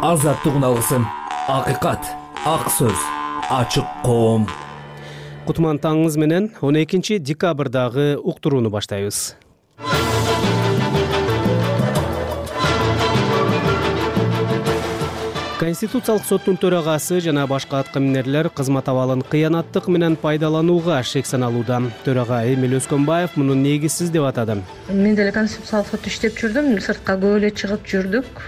Азаттык алгысым, акыйкат, ак сөз, ачык коом. Кутман таңыңыз менен 12 декабрдагы уктурууну баштайбыз. Конституциялык соттун төрагасы жана башка аткаминерлер кызмат абалын кыянаттык менен пайдаланууга шек саналууда. Төрага Эмил Өскөнбаев муну негизсиз деп атады. Мен деле конституциялык сотто иштеп жүрдүм, сыртка көп эле чыгып жүрдүк.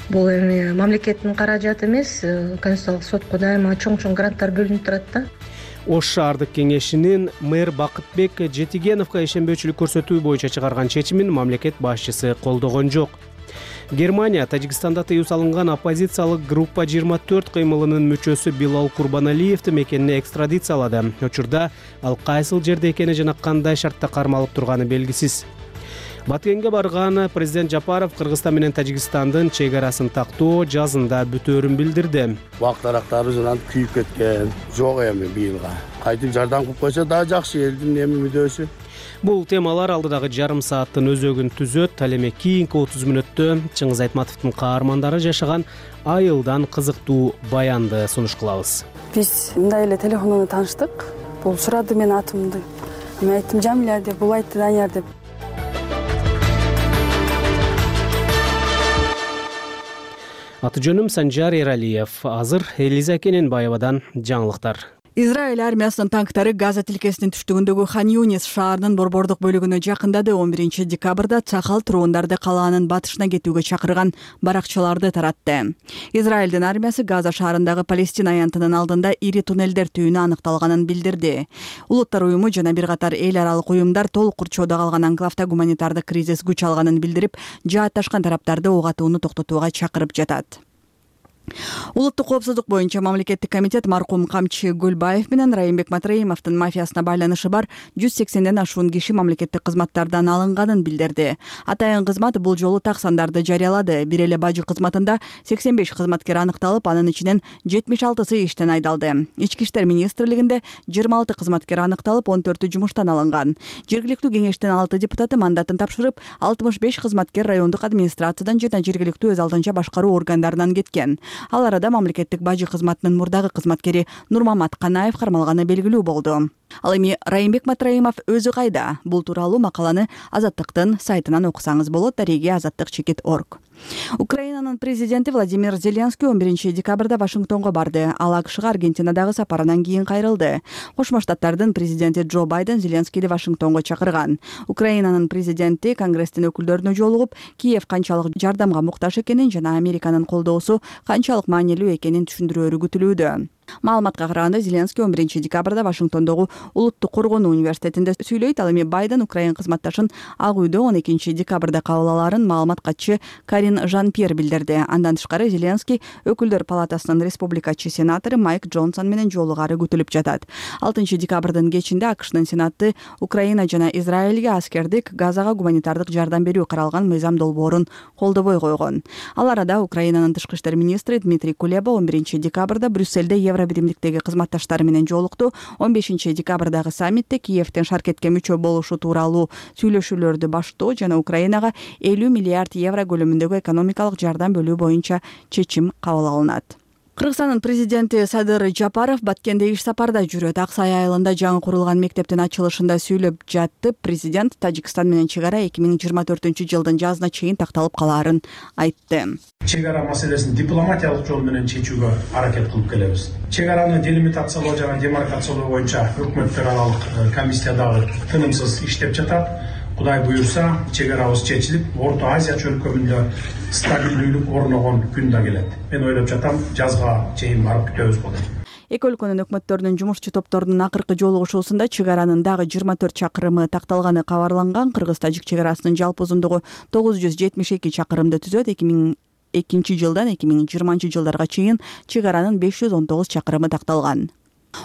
Бул эми мамлекеттин каражаты эмес, конституциялык сотко дайыма чоң гранттар бөлүнүп турат да. Ош шаардык кеңешинин мэр Бакытбек Жетигеновго ишенбөөчүлүк көрсөтүү боюнча чыгарган чечимин мамлекет башчысы колдогон жок. Германия Тажикстанда тыюу салынган оппозициялык группа 24 кыймылынын мүчөсү Билал Курбаналиевди мекенине экстрадициялады. Учурда ал кайсыл жерде экени жана кандай шартта кармалып турганы белгисиз. Баткенге барган президент Жапаров Кыргызстан менен Тажикстандын чек арасын тактоо жазында бүтөөрүн билдирди. Убак дарактары жана күйүп кеткен. Жок эми быйылга. Кайтып жардам кылып койсо да жакшы, элдин эми мүдөөсү. Бул темалар алдыдагы жарым сааттын өзөгүн түзөт. Ал эми кийинки 30 мүнөттө Чыңгыз Айтматовдун каармандары жашаган айылдан кызыктуу баянды сунуш кылабыз. Биз мындай эле телефондон тааныштык. Бул сурады менин атымды. Мен айттым Жамиля деп, бул айтты Данияр деп. Аты жөнүм Санжар Эралиев. Азыр Элиза Кененбаевадан жаңылыктар. Израиль армиясынын танктары Газа тилкесинин түштүгүндөгү Хан Юнис шаарынын борбордук бөлүгүнө жакындады. 11 декабрда Цахал турундарды калаанын батышына кетүүгө чакырган баракчаларды таратты. Израилдин армиясы Газа шаарындагы Палестина аянтынын алдында ири туннелдер түбүнө аныкталганын билдирди. Улуттар уюму жана бир катар эл аралык уюмдар толук курчоодо калган анклавда гуманитардык кризис күч алганын билдирип, жаатташкан тараптарды ок атууну токтотууга чакырып жатат. Улуттук коопсуздук боюнча мамлекеттик комитет маркум камчы Гөлбаев менен Райымбек Матраимовдун мафиясына байланышы бар 180ден ашуун киши мамлекеттик кызматтардан алынганын билдирди. Атайын кызмат бул жолу так сандарды жарыялады. Бир эле бажы кызматында 85 кызматкер аныкталып, анын ичинен 76сы иштен айдалды. Ички иштер министрлигинде 26 кызматкер аныкталып, 14 жумуштан алынган. Жергиликтүү кеңештин 6 депутаты мандатын тапшырып, 65 кызматкер райондук администрациядан жана жергиликтүү өз алдынча башкаруу органдарынан кеткен. Ал арада мамлекеттик бажы кызматынын мурдагы кызматкери Нурмамат Канаев кармалганы белгилүү болду. Ал эми Райымбек Матраимов өзү кайда? Бул тууралуу макаланы Азаттыктын сайтынан окусаңыз болот. Дареги azattik.org. Украинанын президенти Владимир Зеленский 11 декабрда Вашингтонго барды. Ал АКШга Аргентинадагы сапарынан кийин кайрылды. Кошмо Штаттардын президенти Джо Байден Зеленскийди Вашингтонго чакырган. Украинанын президенти Конгресстин өкүлдөрүнө жолугуп, Киев канчалык жардамга муктаж экенин жана Американын колдоосу канчалык маанилүү экенин түшүндүрөөрү күтүлүүдө. Маалыматка караганда Зеленский 11 декабрда Вашингтондогу Улуттук коргонуу университетинде сүйлөйт. Ал эми Байден Украин кызматташын Ак үйдө 12 декабрда кабыл алаарын маалымат катчы Карин Жан-Пьер билдирди. Андан тышкары Зеленский өкүлдөр палатасынын республикачы сенатору Майк Джонсон менен жолугары күтүлүп жатат. 6 декабрдын кечинде АКШнын сенаты Украина жана Израилге аскердик Газага гуманитардык жардам берүү каралган мыйзам долбоорун колдобой койгон. Ал арада Украинанын тышкы иштер министри Дмитрий Кулеба 11 декабрда Брюссельде Биримдиктеги кызматташтары менен жолукту. 15 декабрдагы саммитте Киевтен Шаркетке мүчө болушу тууралуу сүйлөшүүлөрдү баштоо жана Украинага 50 миллиард евро көлөмүндөгү экономикалык жардам бөлүү боюнча чечим кабыл алынат. Кыргызстандын президенти Садыр Жапаров Баткенде иш сапарда жүрөт. Ак Сай айылында жаңы курулган мектептин ачылышында сүйлөп жатты. Президент Тажикстан менен чек ара 2024-жылдын жазына чейин такталып калаарын айтты. Чек ара маселесин дипломатиялык жол менен чечүүгө аракет кылып келебиз. Чек араны делимитациялоо жана демаркациялоо боюнча өкмөттөр аралык комиссия дагы тынымсыз иштеп жатат. Кудай буюрса, чек арабыз чечилип, Орто Азия чөлкөмүндө стабилдүүлүк орногон күн да келет. Мен ойлоп жатам, жазга чейин барып күтөбүз болот. Эки өлкөнүн өкмөттөрүнүн жумушчу топторунун акыркы жолугушуусунда чек аранын дагы 24 чакырымы такталганы кабарланган. Кыргыз-тажик чек арасынын жалпы узундугу 972 чакырымды түзөт. 2002 жылдан 2020 жылдарга чейин чек аранын 519 чакырымы такталган.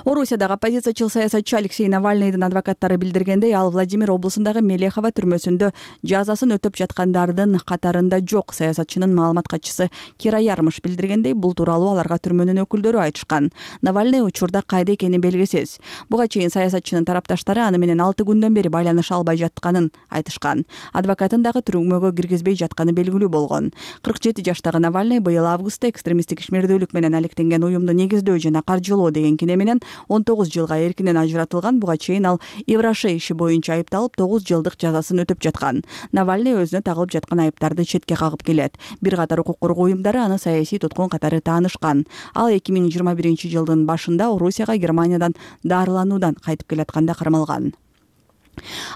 Орусиядагы оппозициячыл саясатчы Алексей Навальныйдын адвокаттары билдиргендей, ал Владимир облусундагы Мелехова түрмөсүндө жазасын өтөп жаткандардын катарында жок. Саясатчынын маалымат катчысы Кира Ярмыш билдиргендей, бул тууралуу аларга түрмөнүн өкүлдөрү айтышкан. Навальный учурда кайда экени белгисиз. Буга чейин саясатчынын тарапташтары аны менен 6 күндөн бери байланыша албай жатканын айтышкан. Адвокатын дагы түрмөгө киргизбей жатканы белгилүү болгон. 47 жаштагы Навальный быйыл августта экстремисттик ишмердүүлүк менен алектенген уюмду негиздөө жана каржылоо деген кине менен 19 жылга эркинен ажыратылган. Буга чейин ал Евроше иши боюнча айыпталып 9 жылдык жазасын өтөп жаткан. Навальный өзүнө тагылып жаткан айыптарды четке кагып келет. Бир катар укук коргоо уюмдары аны саясий туткун катары таанышкан. Ал 2021 жылдын башында Орусияга Германиядан дарылануудан кайтып келатканда кармалган.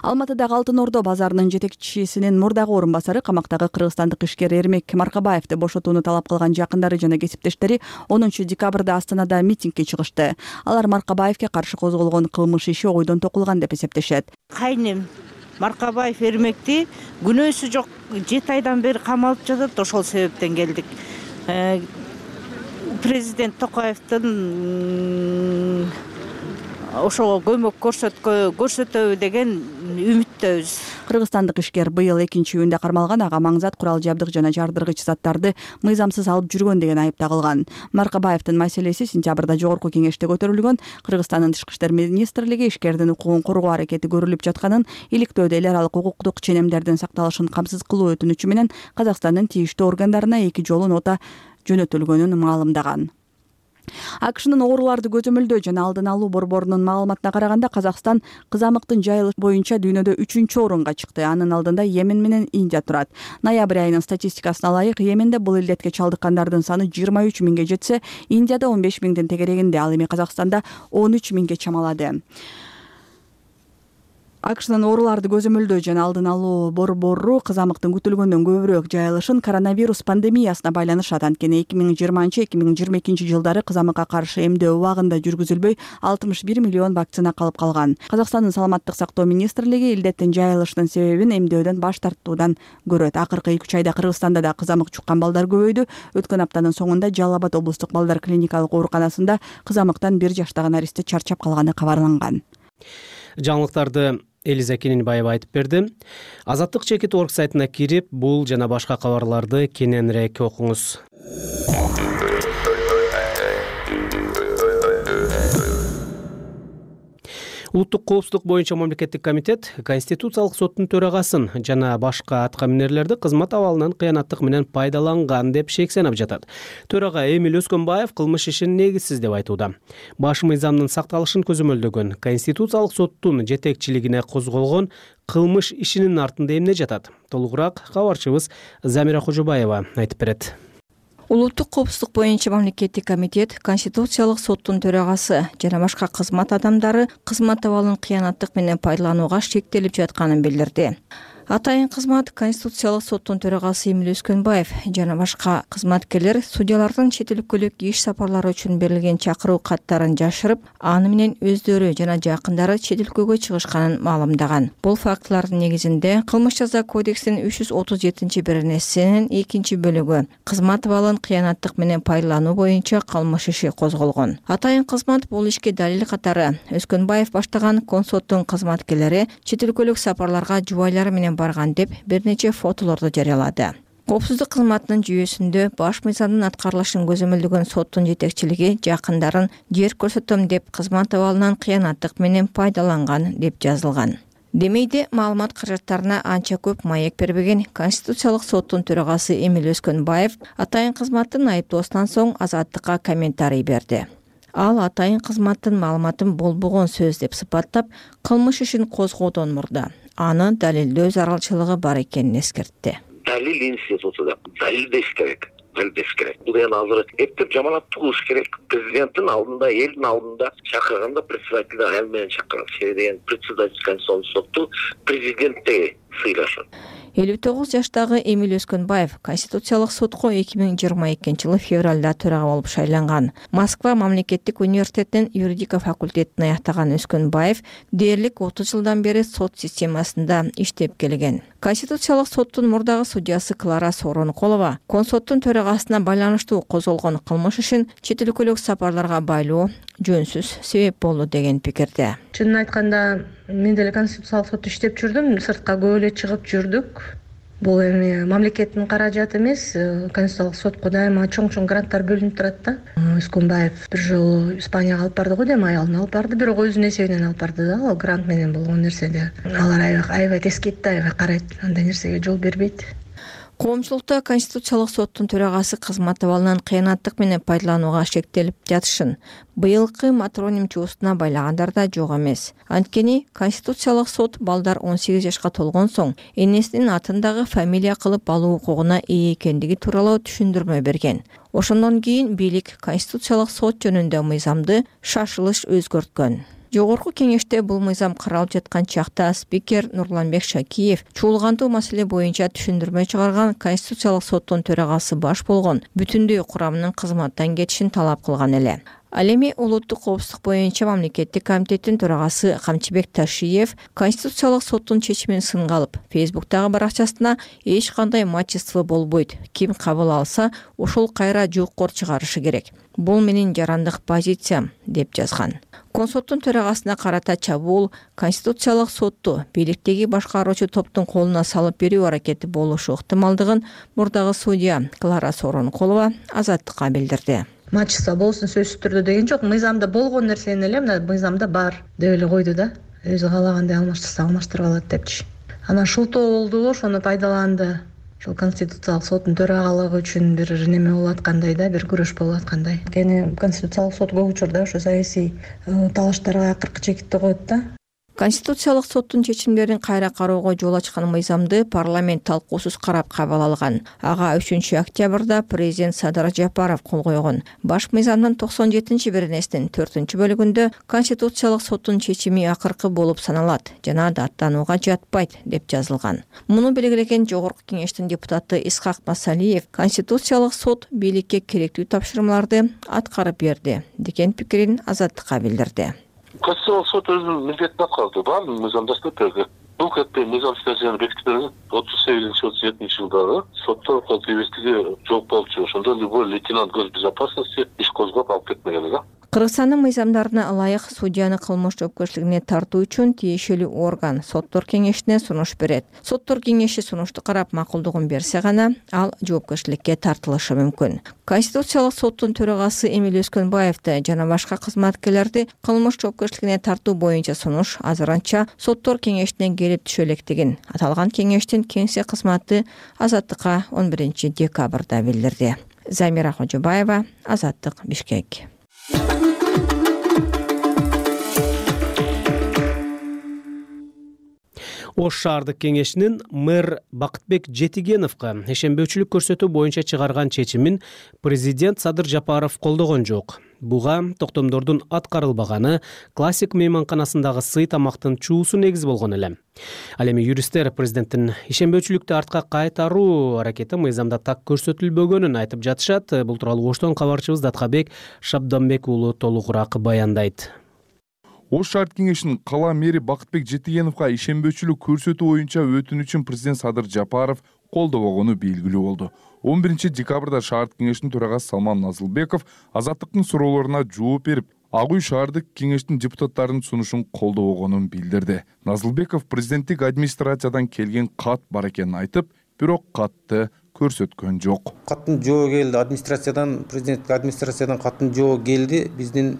Алматыдагы Алтын Ордо базарынын жетекчисинин мурдагы орун басары, камактагы кыргызстандык ишкер Эрмек Маркабаевди бошотууну талап кылган жакындары жана кесиптештери 10 декабрда Астанада митингге чыгышты. Алар Маркабаевге каршы козголгон кылмыш иши ойдон токулган деп эсептешет. Кайнем Маркабаев Эрмекти күнөөсү жок 7 айдан бери камалып жатат. Ошол себептен келдик. Президент Токаевдин ошого көмөк көрсөтөбү деген үмүттөбүз. Кыргызстандык ишкер быйыл 2-июнда кармалган ага маңзат, курал жабдык жана жардыргыч заттарды мыйзамсыз алып жүргөн деген айып тагылган. Маркабаевдин маселеси сентябрда жогорку кеңеште көтөрүлгөн. Кыргызстандын Тышкы иштер министрлиги ишкердин укугун коргоо аракети көрүлүп жатканын, иликтөөдө эл аралык укуктук ченемдердин сакталышын камсыз кылуу өтүнүчү менен Казакстандын тийиштүү органдарына 2 жолу нота жөнөтүлгөнүн маалымдаган. АКШнын ооруларды көзөмөлдөө жана алдын алуу борборунун маалыматына караганда, Казакстан кызамыктын жайылыш боюнча дүйнөдө 3-орунга чыкты. Анын алдында Йемен менен Индия турат. Ноябрь айынын статистикасына ылайык, Йеменде бул илдетке чалдыккандардын саны 23 миңге жетсе, Индияда 15 миңдин тегерегинде, ал эми Казакстанда 13 миңге чамалады. АКШнын ооруларды көзөмөлдөө жана алдын алуу борбору кызамыктын күтүлгөндөн көбүрөөк жайылышын коронавирус пандемиясына байланышат. Анткени 2020-2022 жылдары кызамыкка каршы эмдөө убагында жүргүзүлбөй 61 миллион вакцина калып калган. Казакстандын саламаттык сактоо министрлиги илдеттин жайылышынын себебин эмдөөдөн баш тартуудан көрөт. Акыркы 2 айда Кыргызстанда да кызамык жуккан балдар көбөйдү. Өткөн аптанын соңунда Жалал Абад облустук балдар клиникалык ооруканасында кызамыктан 1 жаштагы наристе чарчап калганы кабарланган. Жаңылыктарды Элиза Кененбаева айтып берди. Азаттык.org сайтына кирип, бул жана башка кабарларды кененирээк окуңуз. Улуттук коопсуздук боюнча мамлекеттик комитет Конституциялык соттун төрагасын жана башка аткаминерлерди кызмат абалынан кыянаттык менен пайдаланган деп шек санап жатат. Төрага Эмил Өскөнбаев кылмыш ишин негизсиз деп айтууда. Баш мыйзамдын сакталышын көзөмөлдөгөн Конституциялык соттун жетекчилигине козголгон кылмыш ишинин артында эмне жатат? Толугураак кабарчыбыз Замира Кожобаева айтып берет. Улуттук коопсуздук боюнча мамлекеттик комитет Конституциялык соттун төрагасы жана башка кызмат адамдары кызмат абалын кыянаттык менен пайдаланууга шектелип жатканын билдирди. Атайын кызмат Конституциялык соттун төрагасы Эмил Өскөнбаев жана башка кызматкерлер судьялардын чет өлкөлүк иш сапарлары үчүн берилген чакыруу каттарын жашырып, аны менен өздөрү жана жакындары чет өлкөгө чыгышканын маалымдаган. Бул фактылардын негизинде Кылмыш жаза кодексинин 337-беренесинин 2-бөлүгү кызмат абалын кыянаттык менен пайдалануу боюнча кылмыш иши козголгон. Атайын кызмат бул ишке далил катары Өскөнбаев баштаган консулдуктун кызматкерлери чет өлкөлүк сапарларга жубайлары менен барган деп бир нече фотолорду жарыялады. Коопсуздук кызматынын жүйөсүндө баш мыйзамдын аткарылышын көзөмөлдөгөн соттун жетекчилиги жакындарын жер көрсөтөм деп кызмат абалынан кыянаттык менен пайдаланган деп жазылган. Демейде маалымат каражаттарына анча көп маек бербеген Конституциялык соттун төрагасы Эмил Өскөнбаев атайын кызматтын айыптоосунан соң Азаттыкка комментарий берди. Ал атайын кызматтын маалыматын болбогон сөз деп сыпаттап, кылмыш ишин козгоодон мурда аны далилдөө зарылчылыгы бар экенин эскертти. Далил институтуда далилдеш керек. Бул эми азыр эптеп жаманаттык кылыш керек. Президенттин алдында, элдин алдында чакырганда председатель ал менен чакырат. Себеби деген председатель Конституциялык сотту президентте сыйлашат. 59 жаштагы Эмиль Өскөнбаев Конституциялык сотко 2022-жылы февралда төрага болуп шайланган. Москва мамлекеттик университетинин юридика факультетин аяктаган Өскөнбаев дээрлик 30 жылдан бери сот системасында иштеп келген. Конституциялык соттун мурдагы судьясы Клара Сооронкулова Консоттун төрагасына байланыштуу козголгон кылмыш ишин чет өлкөлүк сапарларга байлоо жөнсүз себеп болду деген пикирде. Чынын айтканда, мен деле Конституциялык сотто иштеп жүрдүм, сыртка көп эле чыгып жүрдүк. Бул эми мамлекеттин каражаты эмес, Конституциялык сотко дайыма чоң гранттар бөлүнүп турат да. Өскөнбаев бир жолу Испанияга алып барды го дейм, аялын алып барды, бирок өзүнүн эсебинен алып барды да. Ал грант менен болгон нерседе. Алар аябай тескейт да, аябай карайт, андай нерсеге жол бербейт. Коомчулукта Конституциялык соттун төрагасы кызмат абалынан кыянаттык менен пайдаланууга шектелип жатышын быйылкы матроним чуусуна байлагандар да жок эмес. Анткени Конституциялык сот балдар 18 жашка толгон соң энесинин атындагы фамилия кылып алуу укугуна ээ экендиги тууралуу түшүндүрмө берген. Ошондон кийин бийлик Конституциялык сот жөнүндө мыйзамды шашылыш өзгөрткөн. Жогорку кеңеште бул мыйзам каралып жаткан чакта спикер Нурланбек Шакиев чуулгандуу маселе боюнча түшүндүрмө чыгарган Конституциялык соттун төрагасы баш болгон бүтүндөй курамынын кызматтан кетишин талап кылган эле. Ал эми улуттук коопсуздук боюнча мамлекеттик комитеттин төрагасы Камчыбек Ташиев Конституциялык соттун чечимин сынга алып, Фейсбуктагы баракчасына эч кандай мачество болбойт. Ким кабыл алса, ошол кайра жуккор чыгарышы керек. Бул менин жарандык позициям деп жазган. Консоттун төрагасына карата чабуул Конституциялык сотту бийликтеги башкаруучу топтун колуна салып берүү аракети болушу ыктымалдыгын мурдагы судья Клара Сооронкулова Азаттыкка билдирди. Мачество болсун сөзсүз түрдө деген жок, мыйзамда болгон нерсени эле мына мыйзамда бар деп эле койду да. Өзү каалагандай алмаштырса алмаштырып алат депчи. Анан шултоо болду, ошону пайдаланды. Ошол Конституциялык соттун төрагалыгы үчүн бир неме болуп аткандай да, бир күрөш болуп аткандай. Кene Конституциялык сот көп учурда ошо саясий талаштарга акыркы чекитти коет да. Конституциялык соттун чечимдерин кайра кароого жол ачкан мыйзамды парламент талкуусуз карап кабыл алган. Ага 3-октябрда президент Садыр Жапаров кол койгон. Баш мыйзамдын 97-беренесинин 4-бөлүгүндө Конституциялык соттун чечими акыркы болуп саналат жана даттанууга жатпайт деп жазылган. Муну белгилеген жогорку кеңештин депутаты Исхак Масалиев Конституциялык сот бийликке керектүү тапшырмаларды аткарып берди деген пикирин Азаттыкка билдирди. Конституциялык сот өзүнүн милдетин аткарды. Баардык мыйзамда берди. Бул кетпей мыйзам статьяны бекитилген 38-37 жылдары соттор колдебестиги жок болчу. Ошондо любой лейтенант госбезопасности иш козгоп алып кетмеген да. Кыргызстандын мыйзамдарына ылайык судьяны кылмыш жоопкерчилигине тартуу үчүн тиешелүү орган соттор кеңешине сунуш берет. Соттор кеңеши сунушту карап макулдугун берсе гана ал жоопкерчиликке тартылышы мүмкүн. Конституциялык соттун төрагасы Эмиль Өскөнбаевди жана башка кызматкерлерди кылмыш жоопкерчилигине тартуу боюнча сунуш азырынча соттор кеңешине келип түшө электигин аталган кеңештин кеңсе кызматы Азаттыкка 11-декабрда билдирди. Замира Хожобаева, Азаттык, Бишкек. Ош шаардык кеңешинин мэр Бакытбек Жетигеновго ишенбөөчүлүк көрсөтүү боюнча чыгарган чечимин президент Садыр Жапаров колдогон жок. Буга токтомдордун аткарылбаганы классик мейманканасындагы сый тамактын чуусу негиз болгон эле. Ал эми юристтер президенттин ишенбөөчүлүктү артка кайтаруу аракети мыйзамда так көрсөтүлбөгөнүн айтып жатышат. Бул тууралуу Оштон кабарчыбыз Даткабек Шабданбек уулу толугураак баяндайт. Ош шаар кеңешинин кала мэри Бакытбек Жетигеновго ишенбөөчүлүк көрсөтүү боюнча өтүнүчүн президент Садыр Жапаров колдобогону белгилүү болду. 11-декабрда шаар кеңешинин төрагасы Салман Назылбеков Азаттыктын суроолоруна жооп берип, Ак үй шаардык кеңештин депутаттарынын сунушун колдобогонун билдирди. Назылбеков президенттик администрациядан келген кат бар экенин айтып, бирок катты көрсөткөн жок. Каттын жообу келди, администрациядан, президенттик администрациядан каттын жообу келди, биздин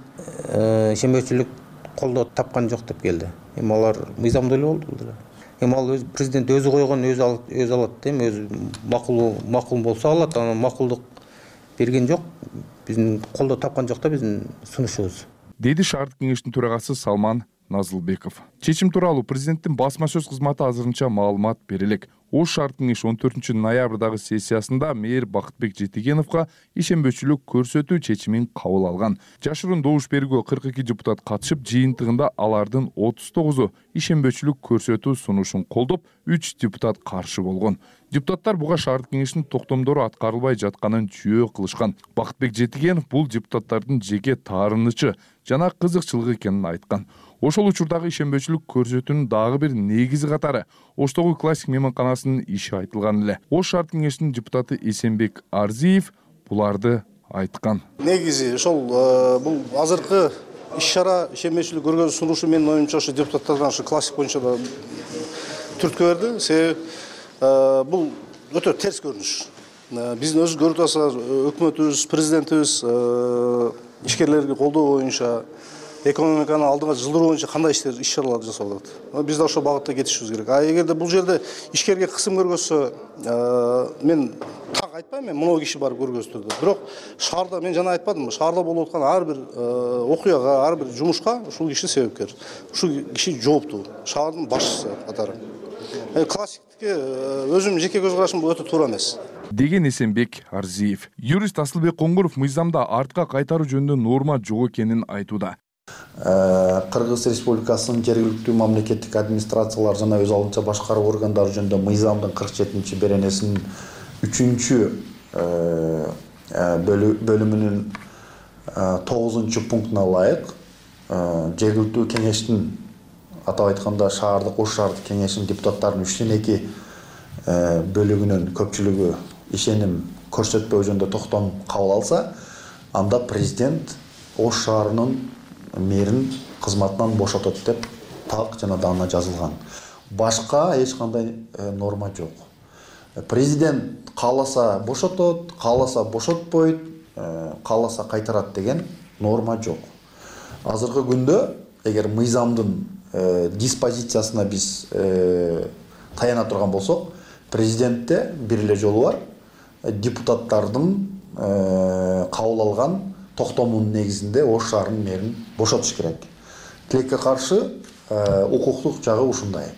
ишенбөөчүлүк колдоо тапкан жок деп келди. Эми алар мыйзамда эле болду. Эми ал президент өзү койгон, өзү алат, эми өзү макул болсо алат, анан макулдук берген жок. Биздин колдоо тапкан жок да биздин сунушубуз. Деди шаардык кеңештин төрагасы Салман Назылбеков. Чечим тууралуу президенттин басма сөз кызматы азырынча маалымат бере элек. Ош шаар кеңеши 14 ноябрдагы сессиясында мэр Бакытбек Жетигеновго ишенбөөчүлүк көрсөтүү чечимин кабыл алган. Жашыруун добуш бергөө 42 депутат катышып, жыйынтыгында алардын 39-у ишенбөөчүлүк көрсөтүү сунушун колдоп, 3 депутат каршы болгон. Депутаттар буга шаардык кеңештин токтомдору аткарылбай жатканын жөө кылышкан. Бакытбек Жетигенов бул депутаттардын жеке таарынычы жана кызыкчылыгы экенин айткан. Ошол учурдагы ишенбөөчүлүк көрсөтүүнүн дагы бир негизи катары Оштогу классик мейманканасынын иши айтылган эле. Ош шаардык кеңешинин депутаты Эсенбек Арзиев буларды айткан. Негизи ошол бул азыркы иш-чара ишенбөөчүлүк көргөзүү сунушу менин оюмча ошо депутаттардан ошо классик боюнча да түрткү берди. Себеби бул өтө терс көрүнүш. Биздин өзү көрүп атасыздар, өкмөтүбүз, президентибиз ишкерлерди колдоо боюнча, экономиканы алдыга жылдыруу боюнча кандай иш-чаралар жасап атат. Биз да ошол багытта кетишибиз керек. А эгерде бул жерде ишкерге кысым көргөзсө, мен так айтпайм, мен мынау киши барып көргөздүрдү. Бирок шаарда мен жана айтпадымбы, шаарда болуп аткан ар бир окуяга, ар бир жумушка ушул киши себепкер. Ушул киши жооптуу. Шаардын башчысы катары. Классиктикке өзүмдүн жеке көз карашым бул өтө туура эмес деген Эсенбек Арзиев. Юрист Асылбек Коңгуров мыйзамда артка кайтаруу жөнүндө норма жок экенин айтууда. Кыргыз Республикасынын жергиликтүү мамлекеттик администрациялар жана өз алдынча башкаруу органдары жөнүндө мыйзамдын 47 беренесинин 3 бөлүмүнүн 9 пунктуна ылайык жергиликтүү кеңештин, атап айтканда шаардык Ош шаардык кеңешинин депутаттарынын 3/2 бөлүгүнүн көпчүлүгү ишеним көрсөтпөө жөнүндө токтом кабыл алса, анда президент Ош шаарынын мэрин кызматынан бошотот деп так жана даана жазылган. Башка эч кандай норма жок. Президент кааласа бошотот, кааласа бошотпойт, кааласа кайтарат деген норма жок. Азыркы күндө эгер мыйзамдын диспозициясына биз таяна турган болсок, президентте бир эле жолу бар. Депутаттардын кабыл алган токтомунун негизинде Ош шаарынын мэрин бошотуш керек. Тилекке каршы укуктук жагы ушундай.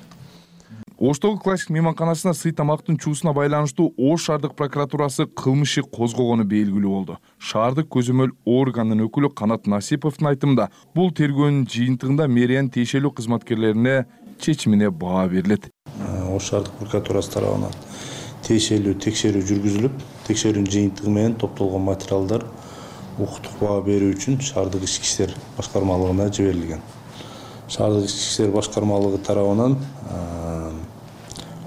Оштогу классик мейманканасына сый тамактын чуусуна байланыштуу Ош шаардык прокуратурасы кылмыш иши козгогону белгилүү болду. Шаардык көзөмөл органынын өкүлү Канат Насиповдун айтымында, бул тергөөнүн жыйынтыгында мэриянын тиешелүү кызматкерлерине чечимине баа берилет. Ош шаардык прокуратурасы тарабынан тиешелүү текшерүү жүргүзүлүп, текшерүүнүн жыйынтыгы менен топтолгон материалдар укуктук баа берүү үчүн шаардык ички иштер башкармалыгына жиберилген. Шаардык ички иштер башкармалыгы тарабынан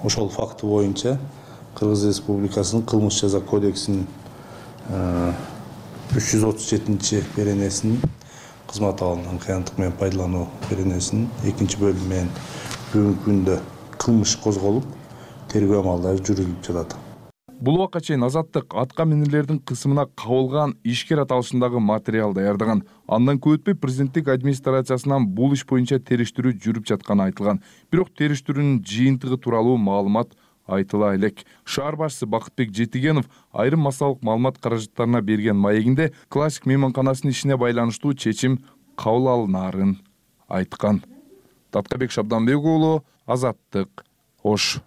ошол факты боюнча Кыргыз Республикасынын кылмыш жаза кодексинин 337 беренесинин кызмат алымын кыянаттык менен пайдалануу беренесинин 2 бөлүмү менен бүгүнкү күндө кылмыш козголуп, тергөө амалдары жүргүзүлүп жатат. Бул убакка чейин Азаттык атка минерлердин кысымына кабылган ишкер аталышындагы материал даярдаган. Андан көп өтпөй президенттик администрациясынан бул иш боюнча териштирүү жүрүп жатканы айтылган. Бирок териштирүүнүн жыйынтыгы тууралуу маалымат айтыла элек. Шаар башчысы Бакытбек Жетигенов айрым массалык маалымат каражаттарына берген маегинде классик мейманканасынын ишине байланыштуу чечим кабыл алынаарын айткан. Таткабек Шабданбек уулу, Азаттык, Ош.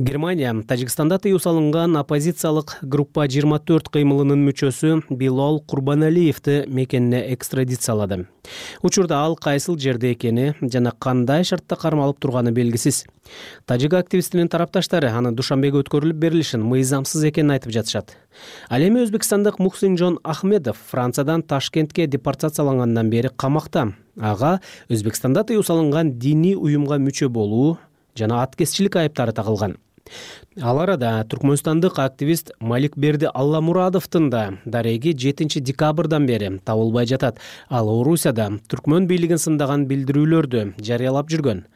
Германия Тажикстанда тыюу салынган оппозициялык группа 24 кыймылынын мүчөсү Билол Курбаналиевди мекенине экстрадициялады. Учурда ал кайсыл жерде экени жана кандай шартта кармалып турганы белгисиз. Тажик активистинин тарапташтары аны Душанбеге өткөрүлүп берилишин мыйзамсыз экенин айтып жатышат. Ал эми өзбекстандык Мухсинжон Ахмедов Франциядан Ташкентке депортациялангандан бери камакта. Ага Өзбекстанда тыюу салынган диний уюмга мүчө болуу жана аткезчилик айыптары тагылган. Ал арада түркмөнстандык активист Маликберди Алламурадовдун да дареги 7 декабрдан бери табылбай жатат. Ал Орусияда түркмөн бийлигин сындаган билдирүүлөрдү жарыялап жүргөн.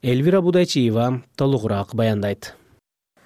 Эльвира Будайчиева толугураак баяндайт.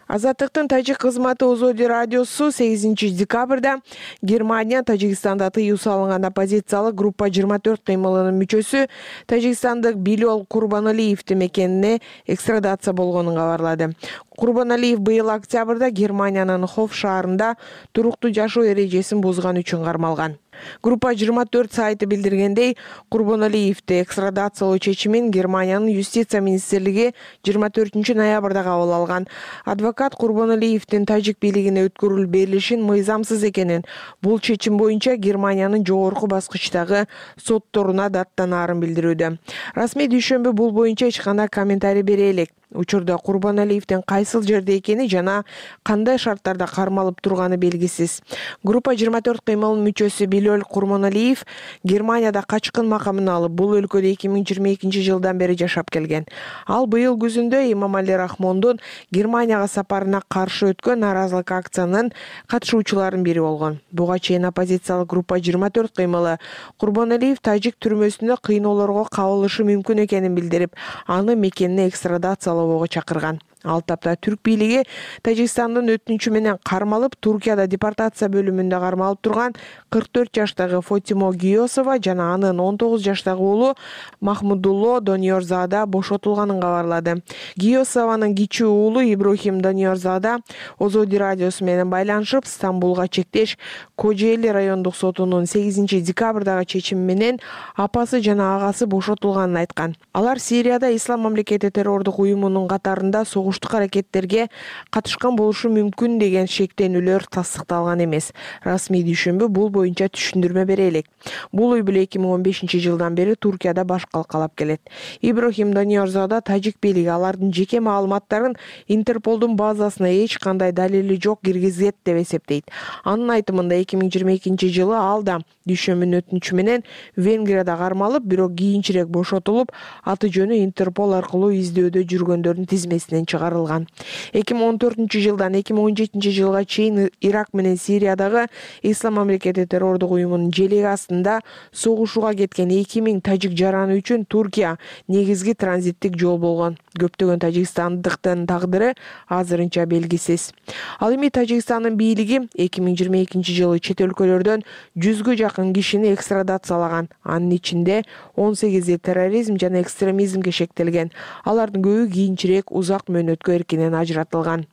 Азаттыктын тажик кызматы Озоди радиосу 8 декабрда Германия Тажикстанда тыюу салынган оппозициялык группа 24 кыймылынын мүчөсү тажикстандык Билол Курбаналиевдин мекенине экстрадация болгонун кабарлады. Курбаналиев быйыл октябрда Германиянын Хоф шаарында туруктуу жашоо эрежесин бузган үчүн кармалган. Группа 24 сайты билдиргендей, Курбаналиевди экстрадациялоо чечимин Германиянын юстиция министрлиги 24 ноябрда кабыл алган. Адвокат Курбаналиевдин тажик бийлигине өткөрүлүп берилишин мыйзамсыз экенин, бул чечим боюнча Германиянын жогорку баскычтагы сотторуна даттанаарын билдирүүдө. Расмий дүйшөмбү бул боюнча эч кандай комментарий бере элек. Учурда Курбаналиевдин кайсыл жерде экени жана кандай шарттарда кармалып турганы белгисиз. Группа 24 кыймылынын мүчөсү Билол Курбаналиев Германияда качкын макамын алып, бул өлкөдө 2022 жылдан бери жашап келген. Ал быйыл күзүндө Эмомали Рахмондун Германияга сапарына каршы өткөн нааразылык акциянын катышуучуларынын бири болгон. Буга чейин оппозициялык группа 24 кыймылы Курбаналиев тажик түрмөсүндө кыйноолорго кабылышы мүмкүн экенин билдирип, аны мекенине экстрадациялоого чакырган. Ал тапта түрк бийлиги Тажикстандын өтүнүчү менен кармалып, Туркияда депортация бөлүмүндө кармалып турган 44 жаштагы Фотимо Гиосова жана анын 19 жаштагы уулу Махмудулло Доньорзада бошотулганын кабарлады. Гиосованын кичүү уулу Иброхим Доньорзада Озоди радиосу менен байланышып, Стамбулга чектеш Кожели райондук сотунун 8 декабрдагы чечими менен апасы жана агасы бошотулганын айткан. Алар Сирияда Ислам мамлекети террордук уюмунун катарында согуштук аракеттерге катышкан болушу мүмкүн деген шектенүүлөр тастыкталган эмес. Расмий дүйшөмбү бул боюнча түшүндүрмө бере элек. Бул үй бүлө 2015 жылдан бери Туркияда баш калкалап келет. Иброхим Доньорзада тажик бийлиги алардын жеке маалыматтарын Интерполдун базасына эч кандай далили жок киргизет деп эсептейт. Анын айтымында 2022 жылы ал да дүйшөмбүнүн өтүнүчү менен Венгрияда кармалып, бирок кийинчерээк бошотулуп, аты жөнү Интерпол аркылуу издөөдө жүргөндөрдүн тизмесинен чыгарылган. 2014 жылдан 2017 жылга чейин Ирак менен Сириядагы Ислам мамлекети террордук уюмунун желеги астында согушууга кеткен 2000 тажик жараны үчүн Туркия негизги транзиттик жол болгон. Көптөгөн тажикстандыктын тагдыры азырынча белгисиз. Ал эми Тажикстандын бийлиги 2022 жылы чет өлкөлөрдөн 100гө жакын кишини экстрадациялаган. Анын ичинде 18 терроризм жана экстремизмге шектелген. Алардын көбү кийинчерээк узак мөөнөткө эркинен ажыратылган.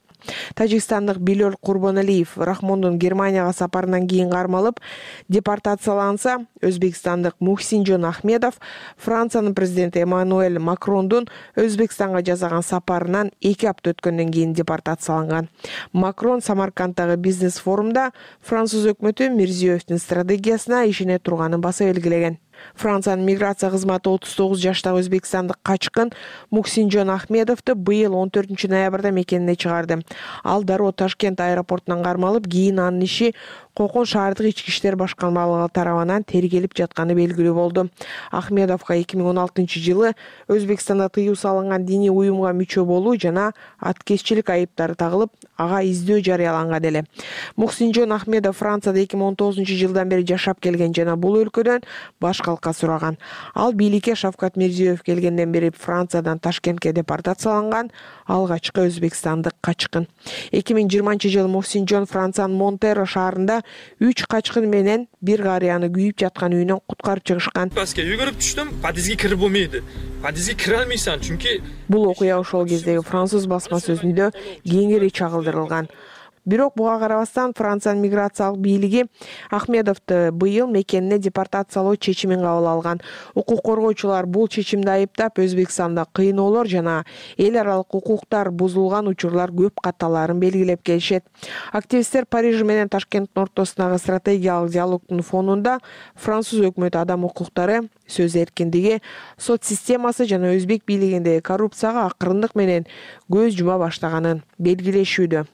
Тажикстандык Билол Курбаналиев Рахмондун Германияга сапарынан кийин кармалып, депортацияланса, Өзбекстандык Мухсинжон Ахмедов Франциянын президенти Эммануэль Макрондун Өзбекстанга жасаган сапарынан 2 апта өткөндөн кийин депортацияланган. Макрон Самаркандтагы бизнес форумда француз өкмөтү Мирзиёевдин стратегиясына ишене турганын баса белгилеген. Франциянын миграция кызматы 39 жаштагы өзбекстандык качкын Мухсинжон Ахмедовду быйыл 14 ноябрда мекенине чыгарды. Ал дароо Ташкент аэропортунан кармалып, кийин анын иши Кокон шаардык ички иштер башкармалыгы тарабынан тергелип жатканы белгилүү болду. Ахмедовго 2016 жылы Өзбекстанда тыюу салынган диний уюмга мүчө болуу жана аткезчилик айыптары тагылып, ага издөө жарыяланган эле. Мухсинжон Ахмедов Францияда 2019 жылдан бери жашап келген жана бул өлкөдөн баш калка сураган. Ал бийликке Шавкат Мирзиёев келгенден бери Франциядан Ташкентке депортацияланган алгачкы өзбекстандык качкын. 2020 жылы Мухсинжон Франциянын Монтеро шаарында 3 качкын менен бир карыяны күйүп жаткан үйүнөн куткарып чыгышкан. Жүгүрүп түштүм, подъездге кирип болмойду. Подъездге кире алмайсың, чүнки бул окуя ошол кездеги француз басма сөзүндө кеңири чагылдырылган. Бирок буга карабастан Франциянын миграциялык бийлиги Ахмедовду быйыл мекенине депортациялоо чечимин кабыл алган. Укук коргоочулар бул чечимди айыптап, Өзбекстанда кыйноолор жана эл аралык укуктар бузулган учурлар көп катталарын белгилеп келишет. Активисттер Париж менен Ташкенттин ортосундагы стратегиялык диалогдун фонунда француз өкмөтү адам укуктары, сөз эркиндиги, сот системасы жана өзбек бийлигиндеги коррупцияга акырындык менен көз жума баштаганын белгилешүүдө.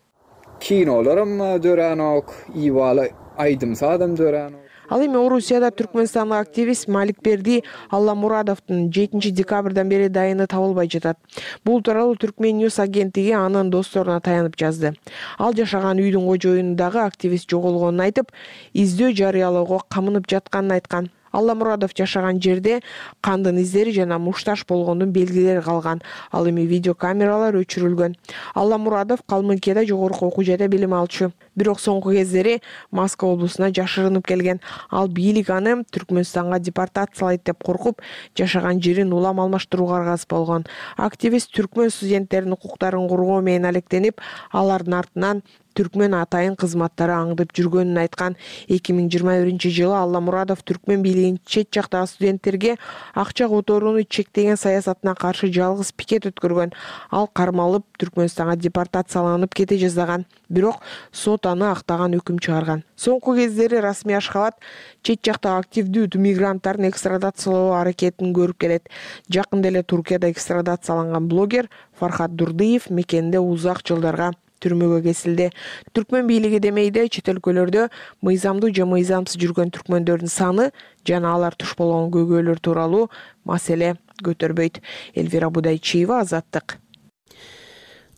Kinolarım dörenok, ivalı aydım sadım dörenok. Ал эми Орусияда түркмөнстандык активист Маликберди Алламурадовдун 7 декабрдан бери дайыны табылбай жатат. Бул тууралуу Түркмен Ньюс агенттиги анын досторуна таянып жазды. Ал жашаган үйдүн кожоюнундагы активист жоголгонун айтып, издөө жарыялоого камынып жатканын айткан. Алламурадов жашаган жерде кандын издери жана мушташ болгондун белгилери калган. Ал эми видеокамералар өчүрүлгөн. Алламурадов Калмыкияда жогорку окуу жайда билим алчу. Бирок соңку кездери Москва облусуна жашырынып келген. Ал бийлик аны Түркмөнстанга депортациялайт деп коркуп, жашаган жерин улам алмаштырууга аргасыз болгон. Активист түркмөн студенттердин укуктарын коргоо менен алектенип, алардын артынан түркмөн атайын кызматтары аңдып жүргөнүн айткан. 2021-жылы Алламурадов түркмөн бийлигинин чет жактагы студенттерге акча которууну чектеген саясатына каршы жалгыз пикет өткөргөн. Ал кармалып Түркмөнстанга депортацияланып кете жаздаган. Бирок сот аны актаган өкүм чыгарган. Соңку кездери расмий Ашхабад чет жактагы активдүү мигранттардын экстрадациялоо аракетин көрүп келет. Жакында эле Туркияда экстрадацияланган блогер Фархат Дурдиев мекенинде узак жылдарга түрмөгө кесилди. Түркмөн бийлиги демейде чет өлкөлөрдө мыйзамдуу же мыйзамсыз жүргөн түркмөндөрдүн саны жана алар туш болгон көйгөйлөр тууралуу маселе көтөрбөйт. Элвира Будайчиева, Азаттык.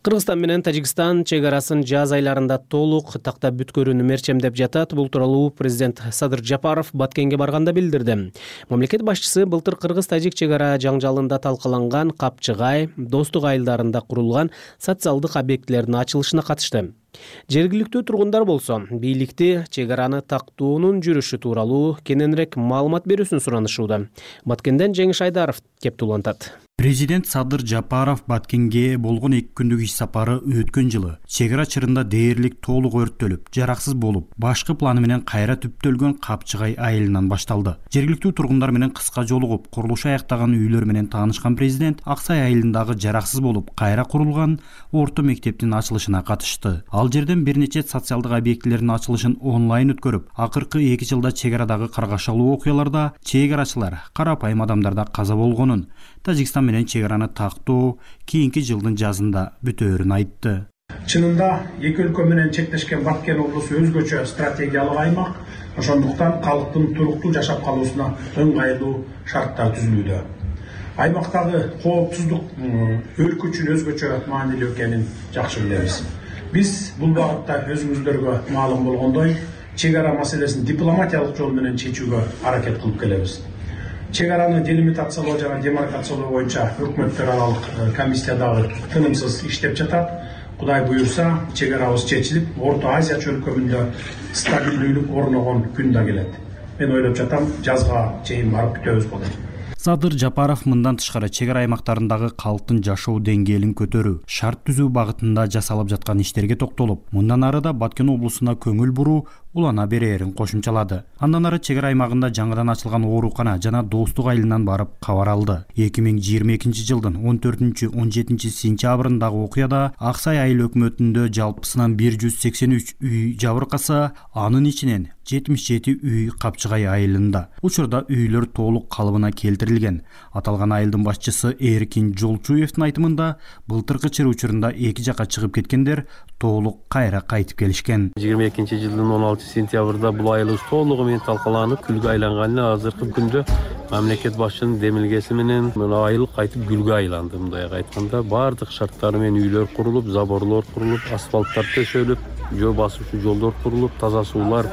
Кыргызстан менен Тажикстан чек арасын жаз айларында толук тактап бүткөрүүнү мерчемдеп жатат. Бул тууралуу президент Садыр Жапаров Баткенге барганда билдирди. Мамлекет башчысы былтыр кыргыз-тажик чек ара жаңжалында талкаланган Капчыгай, Достук айылдарында курулган социалдык объектилердин ачылышына катышты. Жергиликтүү тургундар болсо, бийликти чек араны тактоонун жүрүшү тууралуу кененирээк маалымат берүүсүн суранышууда. Баткенден Жеңиш Айдаров кеп улантат. Президент Садыр Жапаров Баткенге болгон 2 күндүк иш сапары өткөн жылы чек ара чырында дээрлик толук өрттөлүп, жараксыз болуп, башкы планы менен кайра түптөлгөн Капчыгай айылынан башталды. Жергиликтүү тургундар менен кыска жолугуп, курулушу аяктаган үйлөр менен таанышкан президент Аксай айылындагы жараксыз болуп, кайра курулган орто мектептин ачылышына катышты. Ал жерден бир нече социалдык объектилердин ачылышын онлайн өткөрүп, акыркы 2 жылда чек арадагы каргашалуу окуяларда чек арачылар, карапайым адамдарда каза болгонун, Тажикстан менен чек араны тактоо кийинки жылдын жазында бүтөөрүн айтты. Чынында эки өлкө менен чектешкен Баткен облусу өзгөчө стратегиялык аймак, ошондуктан калктын туруктуу жашап калуусуна ыңгайлуу шарттар түзүлүүдө. Аймактагы коопсуздук өлкө үчүн өзгөчө маанилүү экенин жакшы билебиз. Биз бул багытта өзүңүздөргө маалым болгондой, чек ара маселесин дипломатиялык жол менен чечүүгө аракет кылып келебиз. Чек араны делимитациялоо жана демаркациялоо боюнча өкмөттөр аралык комиссия дагы тынымсыз иштеп жатат. Кудай буюрса, чек арабыз чечилип, Орто Азия чөлкөмүндө стабилдүүлүк орногон күн да келет. Мен ойлоп жатам, жазга чейин барып бүтөбүз болот. Садыр Жапаров мындан тышкары чек ара аймактарындагы калктын жашоо деңгээлин көтөрүү, шарт түзүү багытында жасалып жаткан иштерге токтолуп, мындан ары да Баткен облусуна көңүл буруу улана берерин кошумчалады. Андан ары чек ара аймагында жаңыдан ачылган оорукана жана Достук айылынан барып кабар алды. 2022 жылдын 14-17 сентябрындагы окуяда Аксай айыл өкмөтүндө жалпысынан 183 үй жабыркаса, анын ичинен 77 үй Капчыгай айылында. Учурда үйлөр толук калыбына келтирилген. Аталган айылдын башчысы Эркин Жолчуевдин айтымында, былтыркы чыр учурунда эки жакка чыгып кеткендер толук кайра кайтып келишкен. 22 жылдын 16 сентябрда бул айыл толугу менен талкаланып, күлгө айланганына азыркы күндө мамлекет башчынын демилгеси менен айыл кайтып гүлгө айланды. Мындай айтканда, бардык шарттары менен үйлөр курулуп, заборлор курулуп, асфальттар төшөлүп, жөө басуучу жолдор курулуп, таза суулар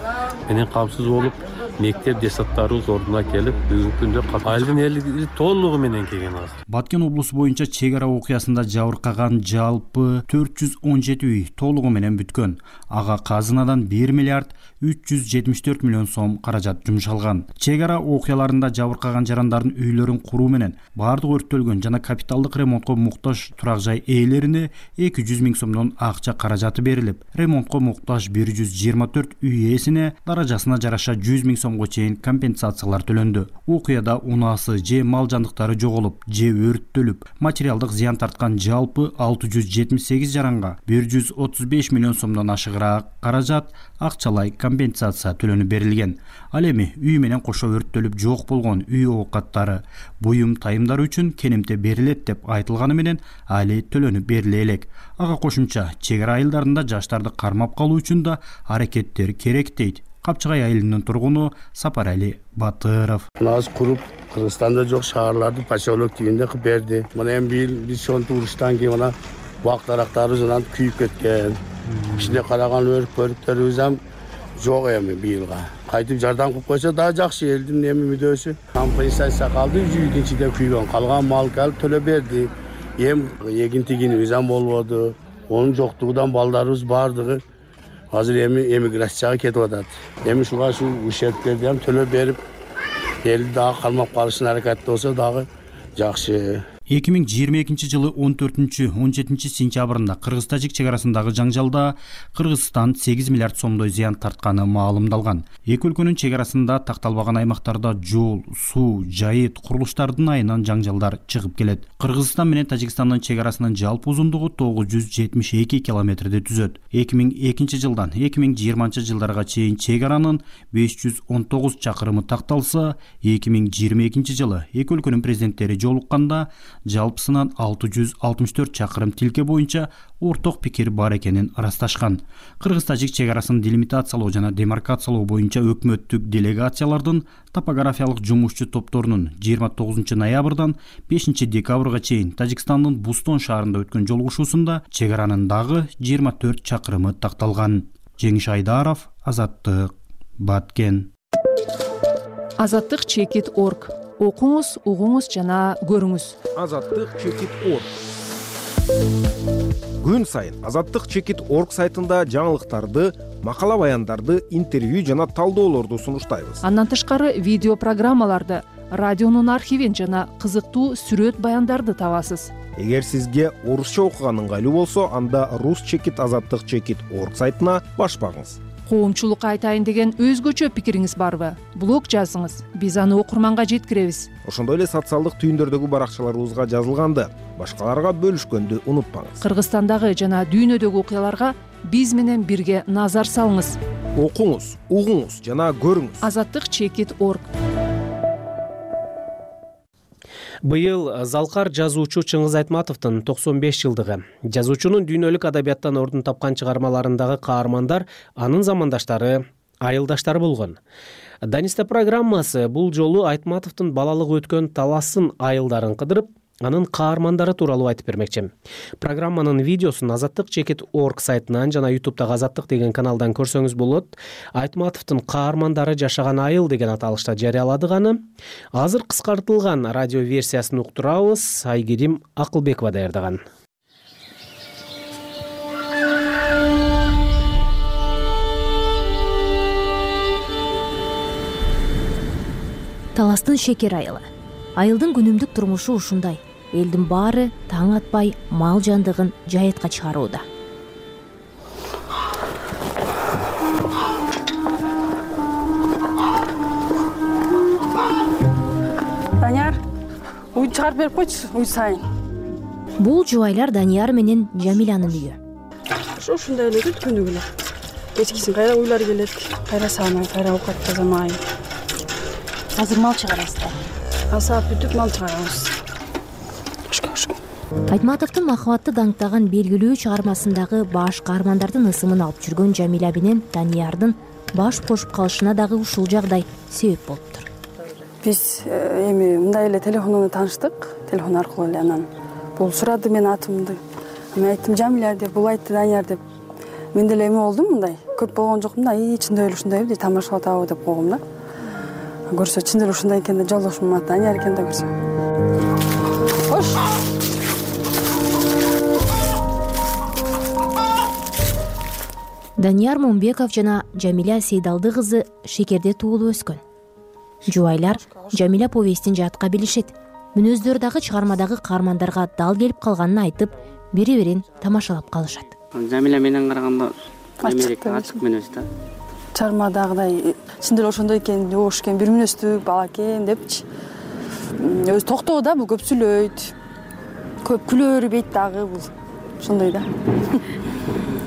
менен камсыз болуп, мектеп детсадтарыбыз ордуна келип, бүгүнкү күндө айылдын эли толугу менен келген азыр. Баткен облусу боюнча чек ара окуясында жабыркаган жалпы 417 үй толугу менен бүткөн. Ага казынадан 1 миллиард 374 миллион сом каражат жумшалган. Чек ара окуяларында жабыркаган жарандардын үйлөрүн куруу менен бардык өрттөлгөн жана капиталдык ремонтко муктаж турак жай ээлерине 200 миң сомдон акча каражаты берилип, ремонтко муктаж 124 үй ээсине даражасына жараша 100 миң сомго чейин компенсациялар төлөндү. Окуяда унаасы же мал жандыктары жоголуп, же өрттөлүп, материалдык зыян тарткан жалпы 678 жаранга 135 миллион сомдон ашыгыраак каражат акчалай компенсация төлөнүп берилген. Ал эми үй менен кошо өрттөлүп жок болгон үй оокаттары, буюм тайымдар үчүн кенемте берилет деп айтылганы менен али төлөнүп бериле элек. Ага кошумча чек ара айылдарында жаштарды кармап калуу үчүн да аракеттер керек дейт Капчыгай айылынын тургуну Сапарали Батыров. Нас куруп Кыргызстанда жок шаарларды поселок тигинде кылып берди. Мына эми биз сонтуп уруштан кийин мына бак дарактарыбыз анан күйүп кеткен. Ичинде караган өрүк-көрүктөрүбүз ham жок эми быйылга. Кайтып жардам кылып койсо дагы жакшы, элдин эми мүдөөсү. Компенсация калды, 100 ичинде күйгөн. Калган малды алып төлөп берди. Эм эгин тигин мыйзам болбоду. Онун жоктугунан балдарыбыз бардыгы азыр эми эмиграцияга кетип атат. Эми ушуга ущербтерди ham төлөп берип, элди дагы кармап калышын аракетте болсо дагы жакшы. 2022 жылы 14-17 сентябрында Кыргыз-Тажик чек арасындагы жаңжалда Кыргызстан 8 миллиард сомдой зыян тартканы маалымдалган. Эки өлкөнүн чек арасында такталбаган аймактарда жол, суу, жайыт, курулуштардын айынан жаңжалдар чыгып келет. Кыргызстан менен Тажикстандын чек арасынын жалпы узундугу 972 километрди түзөт. 2002 жылдан 2020 жылдарга чейин чек аранын 519 чакырымы такталса, 2022 жылы эки өлкөнүн президенттери жолукканда жалпысынан 664 чакырым тилке боюнча орток пикир бар экенин ырасташкан. Кыргыз-Тажик чек арасын делимитациялоо жана демаркациялоо боюнча өкмөттүк делегациялардын топографиялык жумушчу топторунун 29 ноябрдан 5 декабрга чейин Тажикстандын Бустон шаарында өткөн жолугушуусунда чек аранын дагы 24 чакырымы такталган. Жеңиш Айдаров, Азаттык, Баткен. Азаттык chekit.org. Окуңуз, угуңуз жана көрүңүз. Азаттык chekit.org. Күн сайын Азаттык chekit.org сайтында жаңылыктарды, макала баяндарды, интервью жана талдоолорду сунуштайбыз. Андан тышкары видео программаларды, радионун архивин жана кызыктуу сүрөт баяндарды табасыз. Эгер сизге орусча окуган ыңгайлуу болсо, анда Rus Chekit Азаттык chekit.org сайтына баш багыңыз. Коомчулукка айтайын деген өзгөчө пикириңиз барбы? Блог жазыңыз, биз аны окурманга жеткиребиз. Ошондой эле социалдык түйүндөрдөгү баракчаларыбызга жазылганды башкаларга бөлүшкөндү унутпаңыз. Кыргызстандагы жана дүйнөдөгү окуяларга биз менен бирге назар салыңыз. Окуңуз, угуңуз жана көрүңүз. Азаттык chekit.org. Быйыл залкар жазуучу Чыңгыз Айтматовдун 95 жылдыгы. Жазуучунун дүйнөлүк адабияттан ордун тапкан чыгармаларындагы каармандар анын замандаштары, айылдаштары болгон. Даниста программасы бул жолу Айтматовдун балалыгы өткөн таласын айылдарын кыдырып, анын каармандары тууралуу айтып бермекчи. Программанын видеосун Азаттык chekit.org сайтынан жана YouTube'дагы Азаттык деген каналдан көрсөңүз болот. Айтматовдун каармандары жашаган айыл деген аталышта жарыяладык аны. Азыр кыскартылган радио версиясын уктурабыз. Айгерим Акылбекова даярдаган. Таластын шекер айылы. Айылдын күнүмдүк турмушу ушундай. Элдин баары таң атпай мал жандыгын жайытка чыгарууда. Данияр, уй чыгарып берип койчу, уй сайын. Бул жубайлар Данияр менен Жамилянын үйү. Ушундай эле күнү эле. Кечкисин кайра уйлар келет, кайра саамай, кайра оокат тазамай. Азыр мал чыгарасыздар. Асаап бүтүп мал чыгарабыз. Айтматовдун махабатты даңктаган белгилүү чыгармасындагы баш каармандардын ысымын алып жүргөн Жамиля менен Даниярдын баш кошуп калышына дагы ушул жагдай себеп болуптур. Биз эми мындай эле телефондон тааныштык, телефон аркылуу эле анан бул сурады мен атымды. Мен айттым Жамиля деп, бул айтты Данияр деп. Мен деле эми болдум мындай. Көп болгон жокмун да, чындап эле ушундай деп тамашалап атабы деп койгом да. Көрсө чындап эле ушундай экен да, жолдошум Данияр экен да көрсө. Кош. Данияр Момбеков жана Жамиля Сейдалды кызы Шекерде туулуп өскөн. Жубайлар Жамиля повестин жатка билишет. Мүнөздөрү дагы чыгармадагы каармандарга дал келип калганын айтып, бири-бирин тамашалап калышат. Жамиля менен караганда эмерек ачык мүнөз да. Чыгармадагыдай чындап эле ошондой экен, жоош экен, бир мүнөздүү бала экен депчи. Өзү токтоо да, бул көп сүйлөйт. Көп күлө бербейт дагы бул. Ошондой да.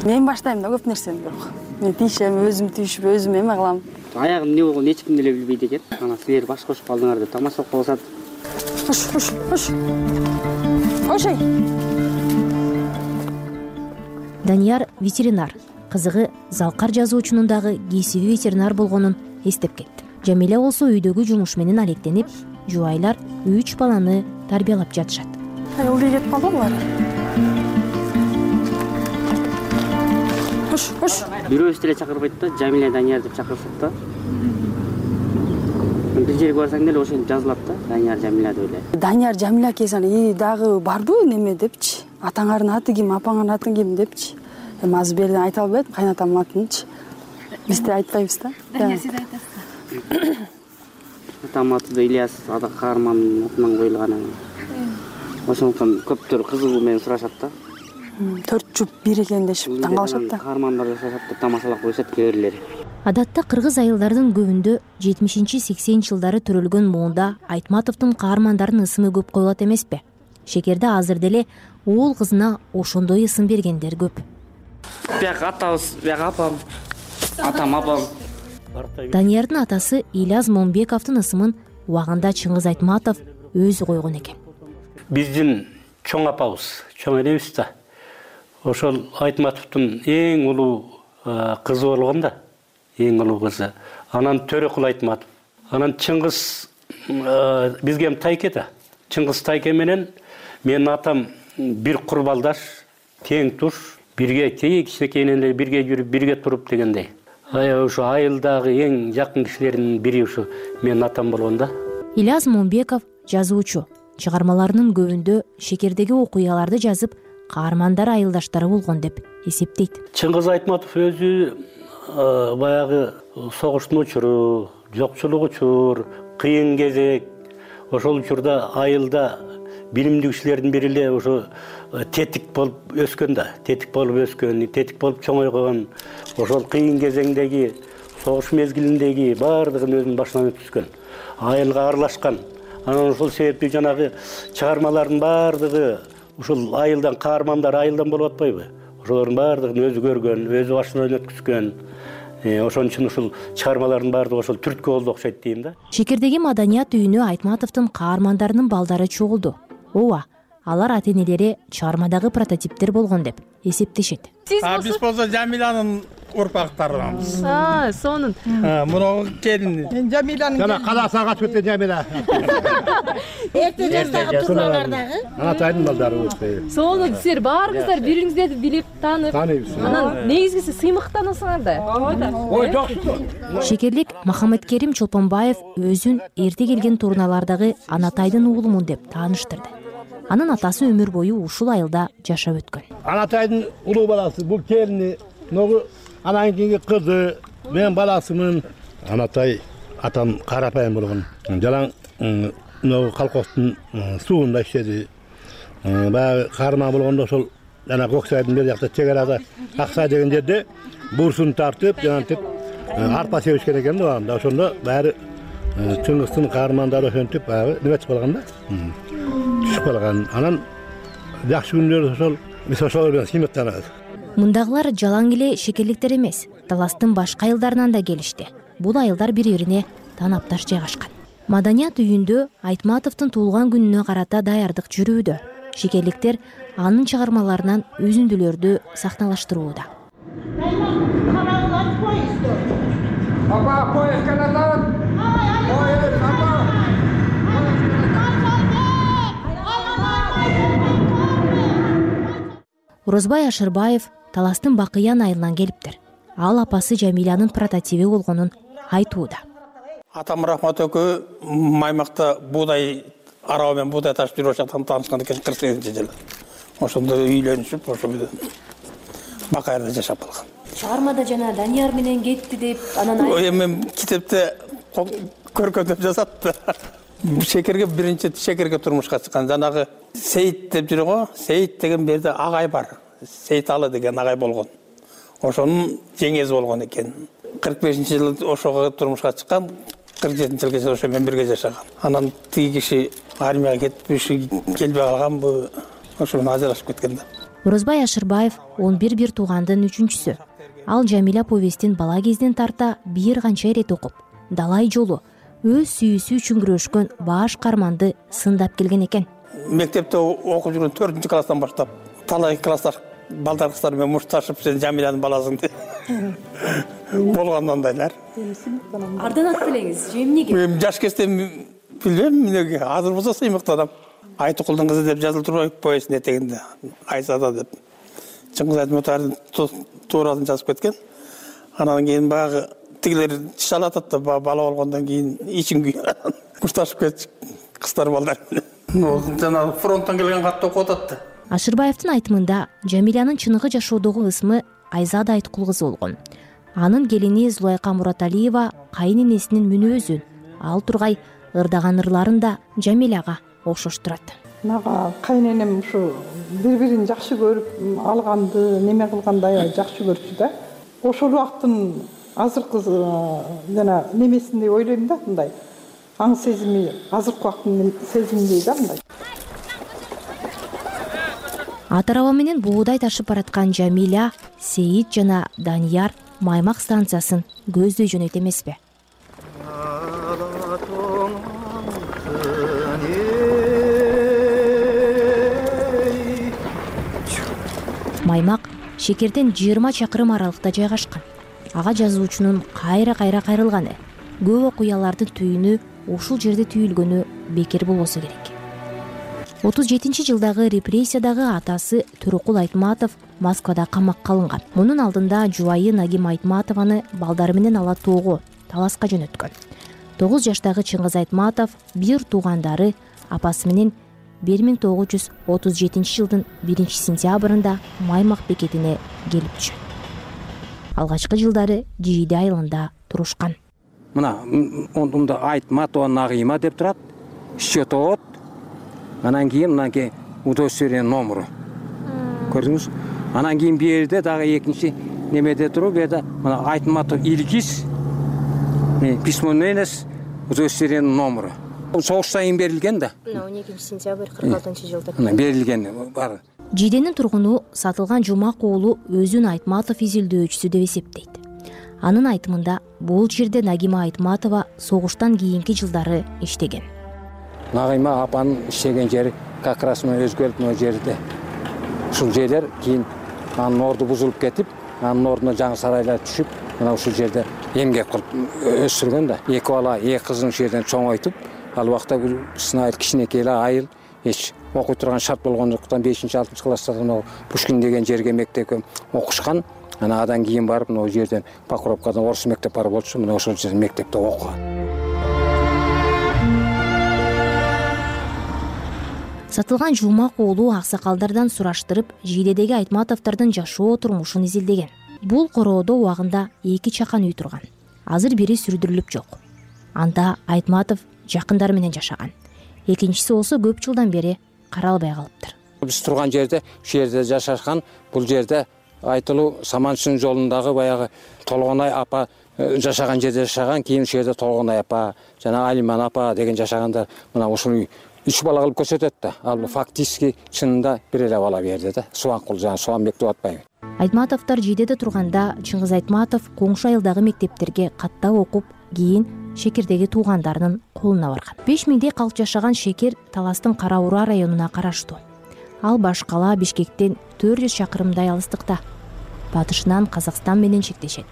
Мен баштайм да көп нерсени, бирок мен тийишем, өзүм тийишип, өзүм эме кылам. Аягым эмне болгонун эч ким деле билбейт экен. Анан силер баш кошуп калдыңар деп тамашалап калышат. Кош. Кошей. Данияр ветеринар. Кызыгы залкар жазуучунун дагы кесиби ветеринар болгонун эстеп кетти. Жамиля болсо үйдөгү жумуш менен алектенип, жубайлар 3 баланы тарбиялап жатышат. Ылдый кетип калды булар. кош. Бирөөбүз деле чакырбайт да, Жамиля Данияр деп чакырышат да. Бир жерге барсаң деле ошентип жазылат да, Данияр Жамиля деп эле. Данияр Жамиля келсең, дагы барбы неме депчи. Атаңардын аты ким, апаңардын аты ким депчи. Эми азыр берден айта албайт, кайнатамдын атынчы. Биз да айтпайбыз да. Сиз айтасыз. Атамдын аты да Ильяс, ада каармандын атынан коюлган. Ошондуктан көптөр кызыгуу менен сурашат да. 4 жуп бир экен дешип таң калышат да. Каармандар жашашат деп тамашалап коюшат кээ бирлери. Адатта кыргыз айылдардын көбүндө 70-80 жылдары төрөлгөн муунда Айтматовдун каармандарынын ысымы көп коюлат эмеспи? Шекерде азыр деле уул кызына ошондой ысым бергендер көп. Бияк атабыз, бияк апам. Атам апам. Даниярдын атасы Ильяс Момбековдун ысымын убагында Чыңгыз Айтматов өзү койгон экен. Биздин чоң апабыз, чоң энебиз да. Ошол Айтматовдун эң улуу кызы болгон да. Эң улуу кызы. Анан Төрөкул Айтматов. Анан Чыңгыз бизге тайке да. Чыңгыз тайке менен менин атам бир курбалдаш, тең туш, бирге кичинекейинен эле бирге жүрүп, бирге туруп дегендей. Ошо айылдагы эң жакын кишилердин бири ушу менин атам болгон да. Ильяс Момбеков жазуучу. Чыгармаларынын көбүндө шекердеги окуяларды жазып, каармандар айылдаштары болгон деп эсептейт. Чыңгыз Айтматов өзү баягы согуштун учуру, жокчулук учур, кыйын кезек, ошол учурда айылда билимдүү кишилердин бири эле ошо тетик болуп өскөн да, тетик болуп чоңойгон. Ошол кыйын кезеңдеги, согуш мезгилиндеги баардыгын өзүнүн башынан өткүзгөн. Айылга аралашкан. Анан ошол себептүү жанагы чыгармалардын баардыгы ушул айылдан каармандар айылдан болуп атпайбы? Ошолордун баардыгын өзү көргөн, өзү башынан өткүзгөн. Ошон үчүн ушул чыгармалардын баардыгы ошол түрткү болду окшойт дейм да. Шекердеги маданият үйүнө Айтматовдун каармандарынын балдары чогулду. Ооба, алар ата-энелери чыгармадагы прототиптер болгон деп эсептешет. Биз болсо Жамилянын урпактарыбыз. Сонун. Муру келин. Мен Жамилянын. Жана каласа качып кеткен Жамиля. Эрте жаштагы турналардагы. Атайдын балдары болсо. Сонун, силер баарыңыздар бириңиздерди билип, таанып. Анан негизгиси сыймыктанасыңар да. Ой, жоксу. Шекерлик Махаметкерим Чолпонбаев өзүн эрте келген турналардагы Анатайдын уулумун деп тааныштырды. Анын атасы өмүр бою ушул айылда жашап өткөн. Анатайдын улуу баласы, бул келини, ногу анан кийинки кызы, мен баласымын. Анатай атам карапайым болгон. Жалаң ногу колхоздун суунда иштеди. Баягы каарман болгондо ошол жана Көксайдын бер жакта чек арада Аксай деген жерде бурсун тартып, жанантип арпа себишкен экен да. Анда ошондо баары Чыңгыздын каармандары ошентип баягы неметип калган да. Түшүп калган. Анан жакшы күндөрү ошол биз ошол менен сыймыктанабыз. Мындагылар жалаң эле шекерликтер эмес, таластын башка айылдарынан да келишти. Бул айылдар бири-бирине танапташ жайгашкан. Маданият үйүндө Айтматовдун туулган күнүнө карата даярдык жүрүүдө. Шекерликтер анын чыгармаларынан үзүндүлөрдү сахналаштырууда. Орозбай Ашырбаев таластын Бакыян айылынан келиптир. Ал апасы Жамилянын прототиби болгонун айтууда. Атам Рахмат экөө Маймакта буудай арабы менен буудай ташып жүрүп жаткан таанышкан экен 48-жылы. Ошондо үйлөнүшүп, ошо Бакыярда жашап калган. Чыгармада жана Данияр менен кетти деп, анан Эми китепте көркөдөп жазат. Шекерге биринчи шекерге турмушка чыккан жанагы Сейит деп жүрү го. Сейит деген берде агай бар. Сейиталы деген агай болгон. Ошонун жеңези болгон экен. 45-жылы ошого турмушка чыккан, 47-жылга ошо менен бирге жашаган. Анан тиги киши армияга кетип, келбей калган, бу ошо менен ажырашып кеткен да. Орозбай Ашырбаев 11 бир туугандын 3-чүсү. Ал Жамиля повестин бала кезден тарта бир канча ирет окуп, далай жолу өз сүйүүсү үчүн күрөшкөн баш каарманды сындап келген экен. Мектепте окуп жүргөн 4-класстан баштап талай класстар балдар кыздар менен мушташып, сен Жамилянын баласың деп болгон андайлар. Ардан ат белеңиз, эмнеге? Мен жаш кезде билбейм, эмнеге. Азыр болсо сыймыктанам. Айтыкулдун кызы деп жазылып турбайбы повестин этегинде. Айсада деп. Чыңгыз Айтматовдун тууралын жазып кеткен. Анан кийин баягы тигилер шалат атты, бала болгондон кийин ичим күйүп кушташып кетчү кыздар балдар менен. Жана фронттон келген катты окуп ататты. Ашырбаевдин айтымында Жамилянын чыныгы жашоодогу ысмы Айзада Айткул кызы болгон. Анын келини Зулайка Мураталиева кайын энесинин мүнөзүн, ал тургай ырдаган ырларын да Жамиляга окшоштурат. Мага кайын энем ушу бири-бирин жакшы көрүп алганды, неме кылгандай жакшы көрчү да. Ошол убакыттын азыркы жана немесиндей ойлойм да, мындай. Аң сезими азыркы убакыттын сезиминдей да мындай. Ат араба менен буудай ташып бараткан Жамиля, Сейит жана Данияр Маймак станциясын көздөй жөнөйт эмеспи? Маймак Шекерден 20 чакырым аралыкта жайгашкан. Ага жазуучунун кайра-кайра кайрылганы, көп окуялардын түйүнү ушул жерде түйүлгөнү бекер болбосо керек. 37-жылдагы репрессиядагы атасы Төрөкул Айтматов Москвада камакка алынган. Мунун алдында жубайы Нагим Айтматованы балдары менен ала тоого таласка жөнөткөн. 9 жаштагы Чыңгыз Айтматов бир туугандары апасы менен 1937 жылдын 1-сентябрында Маймак бекетине келип түшөт. Алгачкы жылдары Жийде айылында турушкан. Мына ондумда Айтматова Нагима деп турат, счетовод, анан кийин удостоверение номеру. Көрдүңүз? Анан кийин бу жерде дагы экинчи немеде туруп, бу мына Айтматов Илгиз, письменность, удостоверение номеру. Согуштан кийин берилген да. 12-сентябрь 46-жылда. Берилген бар. Жийденин тургуну Сатылган Жумак уулу өзүн Айтматов изилдөөчүсү деп эсептейт. Анын айтымында бул жерде Нагима Айтматова согуштан кийинки жылдары иштеген. Нагима апанын иштеген жери как раз өзгөрүп жерде. Ушул жерлер кийин анын орду бузулуп кетип, анын ордуна жаңы сарайлар түшүп, мына ушул жерде эмгек кылып өстүргөн да. Эки бала, эки кызын ушул жерден чоңойтуп, ал убакта бул сынайыл кичинекей эле айыл, эч окуй турган шарт болгондуктан 5-6 класстарда Пушкин деген жерге мектепке окушкан. Анадан кийин барып, мына жерден Покровкадан орус мектеп бар болчу, мына ошол жерден мектепте окуган. Сатылган Жумак уулу аксакалдардан сураштырып, Жийдедеги Айтматовдордун жашоо турмушун изилдеген. Бул короодо убагында 2 чакан үй турган. Азыр бири сүрдүрүлүп жок. Анда Айтматов жакындары менен жашаган. Экинчиси болсо көп жылдан бери каралбай калыптыр. Биз турган жерде, ушул жерде жашашкан, бул жерде айтылуу Саманшын жолундагы баягы Толгонай апа жашаган жерде жашаган, кийин ушул жерде Толгонай апа жана Алиман апа деген жашагандар. Мына ушуну 3 бала кылып көрсөтөт да. Ал фактически чынында бир эле бала берди да. Субанкул жана Субанбек деп атпайбы. Айтматовдор Жийдеде турганда Чыңгыз Айтматов коңшу айылдагы мектептерге каттап окуп, кийин Шекердеги туугандарынын колуна барган. 5 миңдей калк жашаган Шекер Таластын Кара Ура районуна караштуу. Ал Башкала Бишкектен 400 чакырымдай алыстыкта. Батышынан Казакстан менен чектешет.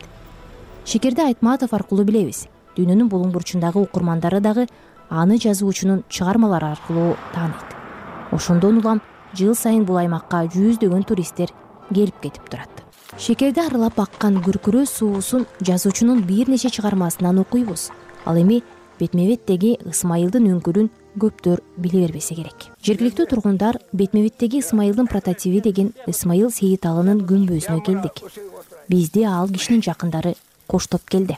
Шекерди Айтматов аркылуу билебиз. Дүйнөнүн булуң бурчундагы укурмандары дагы аны жазуучунун чыгармалары аркылуу тааныйт. Ошондон улам жыл сайын бул аймакка жүздөгөн туристтер келип кетип турат. Шекерди аралап аккан күркүрөө суусун жазуучунун бир нече чыгармасынан окуйбуз. Ал эми Бетмебеттеги Ысмайылдын үңкүрүн көптөр биле бербесе керек. Жергиликтүү тургундар Бетмебеттеги Ысмайылдын прототиби деген Ысмайыл Сейиталынын күмбөзүнө келдик. Бизди ал кишинин жакындары коштоп келди.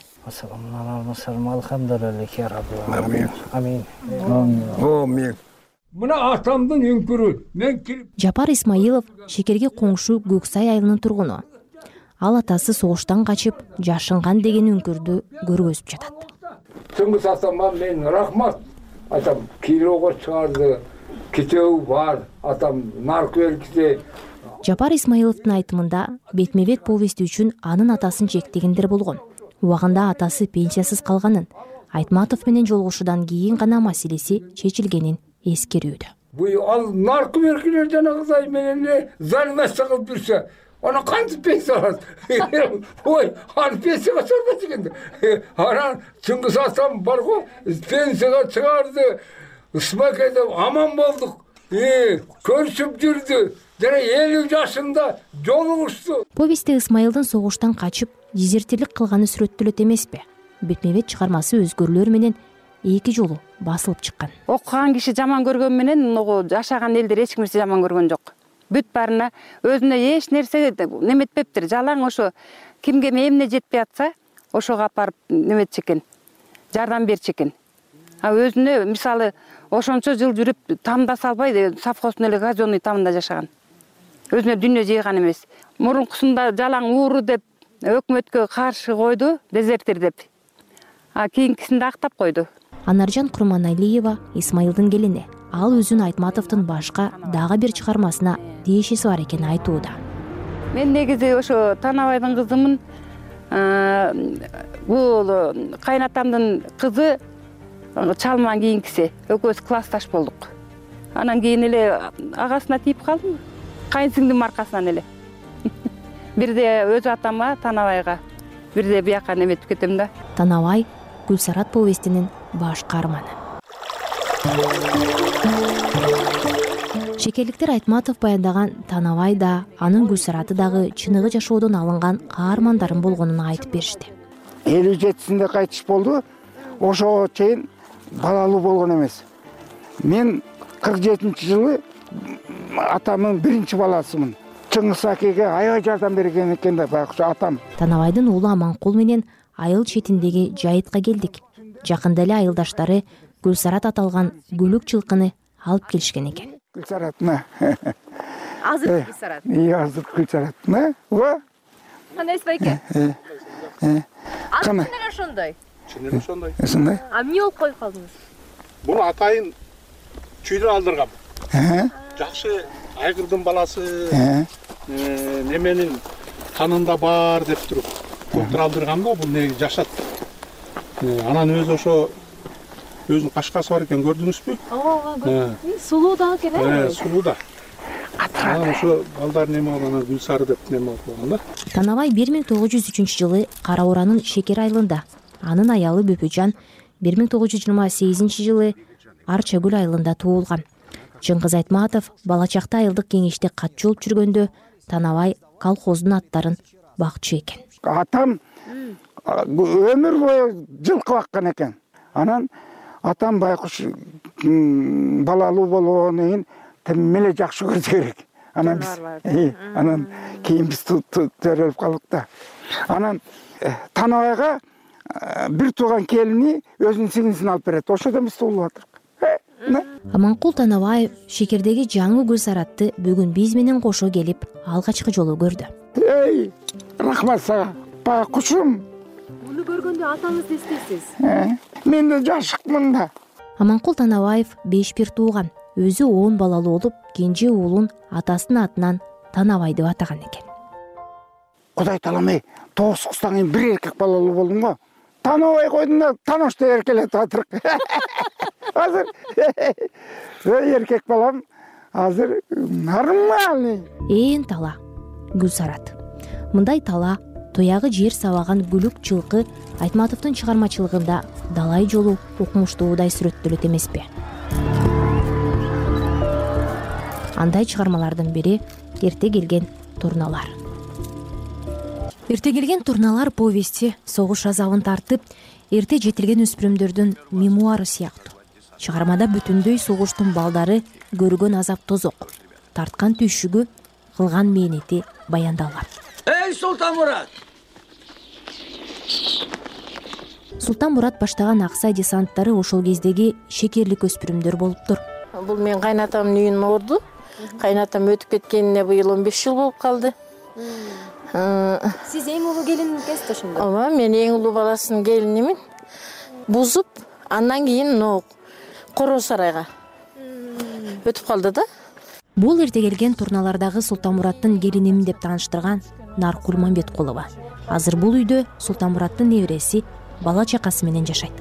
Амин. Мына атамдын үңкүрү. Мен кирип. Жапар Исмаилов Шекерге коңшу Көксай айылынын тургуну. Ал атасы согуштан качып, жашынган деген үңкүрдү көргөзүп жатат. Чыңгыз атама мен рахмат. Атам кирого чыгарды. Китеби бар. Атам наркы белгиси. Жапар Исмаиловдун айтымында Бетмебет повести үчүн анын атасын жектегендер болгон. Убагында атасы пенсиясыз калганын, Айтматов менен жолугушуудан кийин гана маселеси чечилгенин эскерүүдө. Бу ал наркы белгилер жана кызай менен залмаса кылып жүрсө, аны кантип пенсия алат? Ой, аны пенсияга чыгарбайт экен. Анан Чыңгыз атам барго, пенсияга чыгарды. Ысмакайда аман болдук. Көрүшүп жүрдү. жана 50 жашында жолу ушту. Повестте Исмайылдын согуштан качып дезертирлик кылганы сүрөттөлөт эмеспи? Бетме бет чыгармасы өзгөрүүлөр менен 2 жолу басылып чыккан. Окуган киши жаман көргөн менен жашаган элдер эч кимсе жаман көргөн жок. Бүт баарына өзүнө эч нерсе неметпептир. Жалаң ошо кимге эмне жетпей атса, ошого апарып неметчи экен, жардам берчи экен. А өзүнө мисалы ошончо жыл жүрүп тамда салбай, совхоздун эле казённый тамында жашаган. Өзүнө дүйнө жыйган эмес. Мурункусунда жалаң ууру деп өкмөткө каршы койду, дезертир деп. А кийинкисинде актап койду. Анаржан Курманалиева Исмайылдын келини. Ал өзүн Айтматовдун башка дагы бир чыгармасына тиешеси бар экенин айтууда. Мен негизи ошо Танабайдын кызымын. Бул кайнатамдын кызы чалман кийинкиси. Экөөбүз классташ болдук. Анан кийин эле агасына тийип калдым. Кайынсиңдин маркасынан эле. Бирде өз атама Танабайга, бирде бияка неметип кетем да. Танабай Гүлсарат повестинин баш каарманы. Шекерликтер Айтматов баяндаган Танабай да, анын Гүлсараты дагы чыныгы жашоодон алынган каармандарын болгонун айтып беришти. 57-синде кайтыш болду. Ошого чейин балалуу болгон эмес. Мен 47-жылы атамдын биринчи баласымын. Чыңгыз акеге аябай жардам берген экен да байкуша атам. Танабайдын уулу Аманкул менен айыл четиндеги жайытка келдик. Жакында эле айылдаштары Гүлсарат аталган гүлүк жылкыны алып келишкен экен. Гүлсаратына. Азыр Гүлсарат. Азыр Гүлсаратына. Кандай байке? Кана. Ошондой. Чынын ошондой. Ошондой. А эмне болуп коюп калдыңыз? Бул атайын чүйдөн алдыргам. Жакшы айгырдын баласы неменин канында бар деп туруп доктор алдыргам да, бул не жашат. Анан өзү ошо өзүнүн кашкасы бар экен, көрдүңүзбү? Ооба, сулуу да экен, сулуу да. Анан ошо балдар неме болгон, Гүлсары деп неме болгон да. Танабай 1903-жылы Кара Уранын Шекер айылында, анын аялы Бөпөжан 1928-жылы Арчагүл айылында туулган. Чыңгыз Айтматов бала чакта айылдык кеңеште катчы болуп жүргөндө Танабай колхоздун аттарын бакчу экен. Атам өмүр бою жылкы баккан экен. Анан атам байкуш балалуу болгондон кийин тим эле жакшы көрдү керек. Анан кийин биз төрөлүп калдык да. Анан Танабайга бир тууган келини өзүнүн сиңдисин алып берет. Ошодон биз туулуп атырк. Аманкул Танабаев Шекердеги жаңы Гүлсаратты бүгүн биз менен кошо келип алгачкы жолу көрдү. Эй, рахмат сага, байкушум. Муну көргөндө атаңызды эстейсиз? Мен да жашыкмын да. Аманкул Танабаев 5 бир тууган. Өзү 10 балалуу болуп, кенже уулун атасынын атынан Танабай деп атаган экен. Кудай таламай, 9 кыздан кийин бир эркек балалуу болдум го. Танабай койдум да, таношто эркелетип атырк. Азыр эркек балам азыр нормальный. Ээн тала Гүлсарат. Мындай тала, тоягы жер сабаган гүлүк жылкы Айтматовдун чыгармачылыгында далай жолу укмуштуудай сүрөттөлөт эмеспи? Андай чыгармалардын бири Эрте келген турналар. Эрте келген турналар повести согуш азабын тартып, эрте жетилген өспүрүмдөрдүн мемуары сыяктуу. Чыгармада бүтүндөй согуштун балдары көргөн азап тозок, тарткан түйшүгү, кылган мээнети баяндалган. Эй, Султан Мурат! Султан Мурат баштаган Аксай десанттары ошол кездеги шекерлик өспүрүмдөр болуптур. Бул менин кайнатамдын үйүнүн орду. Кайнатам өтүп кеткенине быйыл 15 жыл болуп калды. Сиз эң улуу келиниңиз ошондо? Ооба, мен эң улуу баласынын келинимин. Бузуп, андан кийин Кoro сарайга өтүп калды да. Бул эрте келген турналардагы Султан Мураттын келинимин деп тааныштырган Наркул Мамбеткулова. Азыр бул үйдө Султан Мураттын небереси бала чакасы менен жашайт.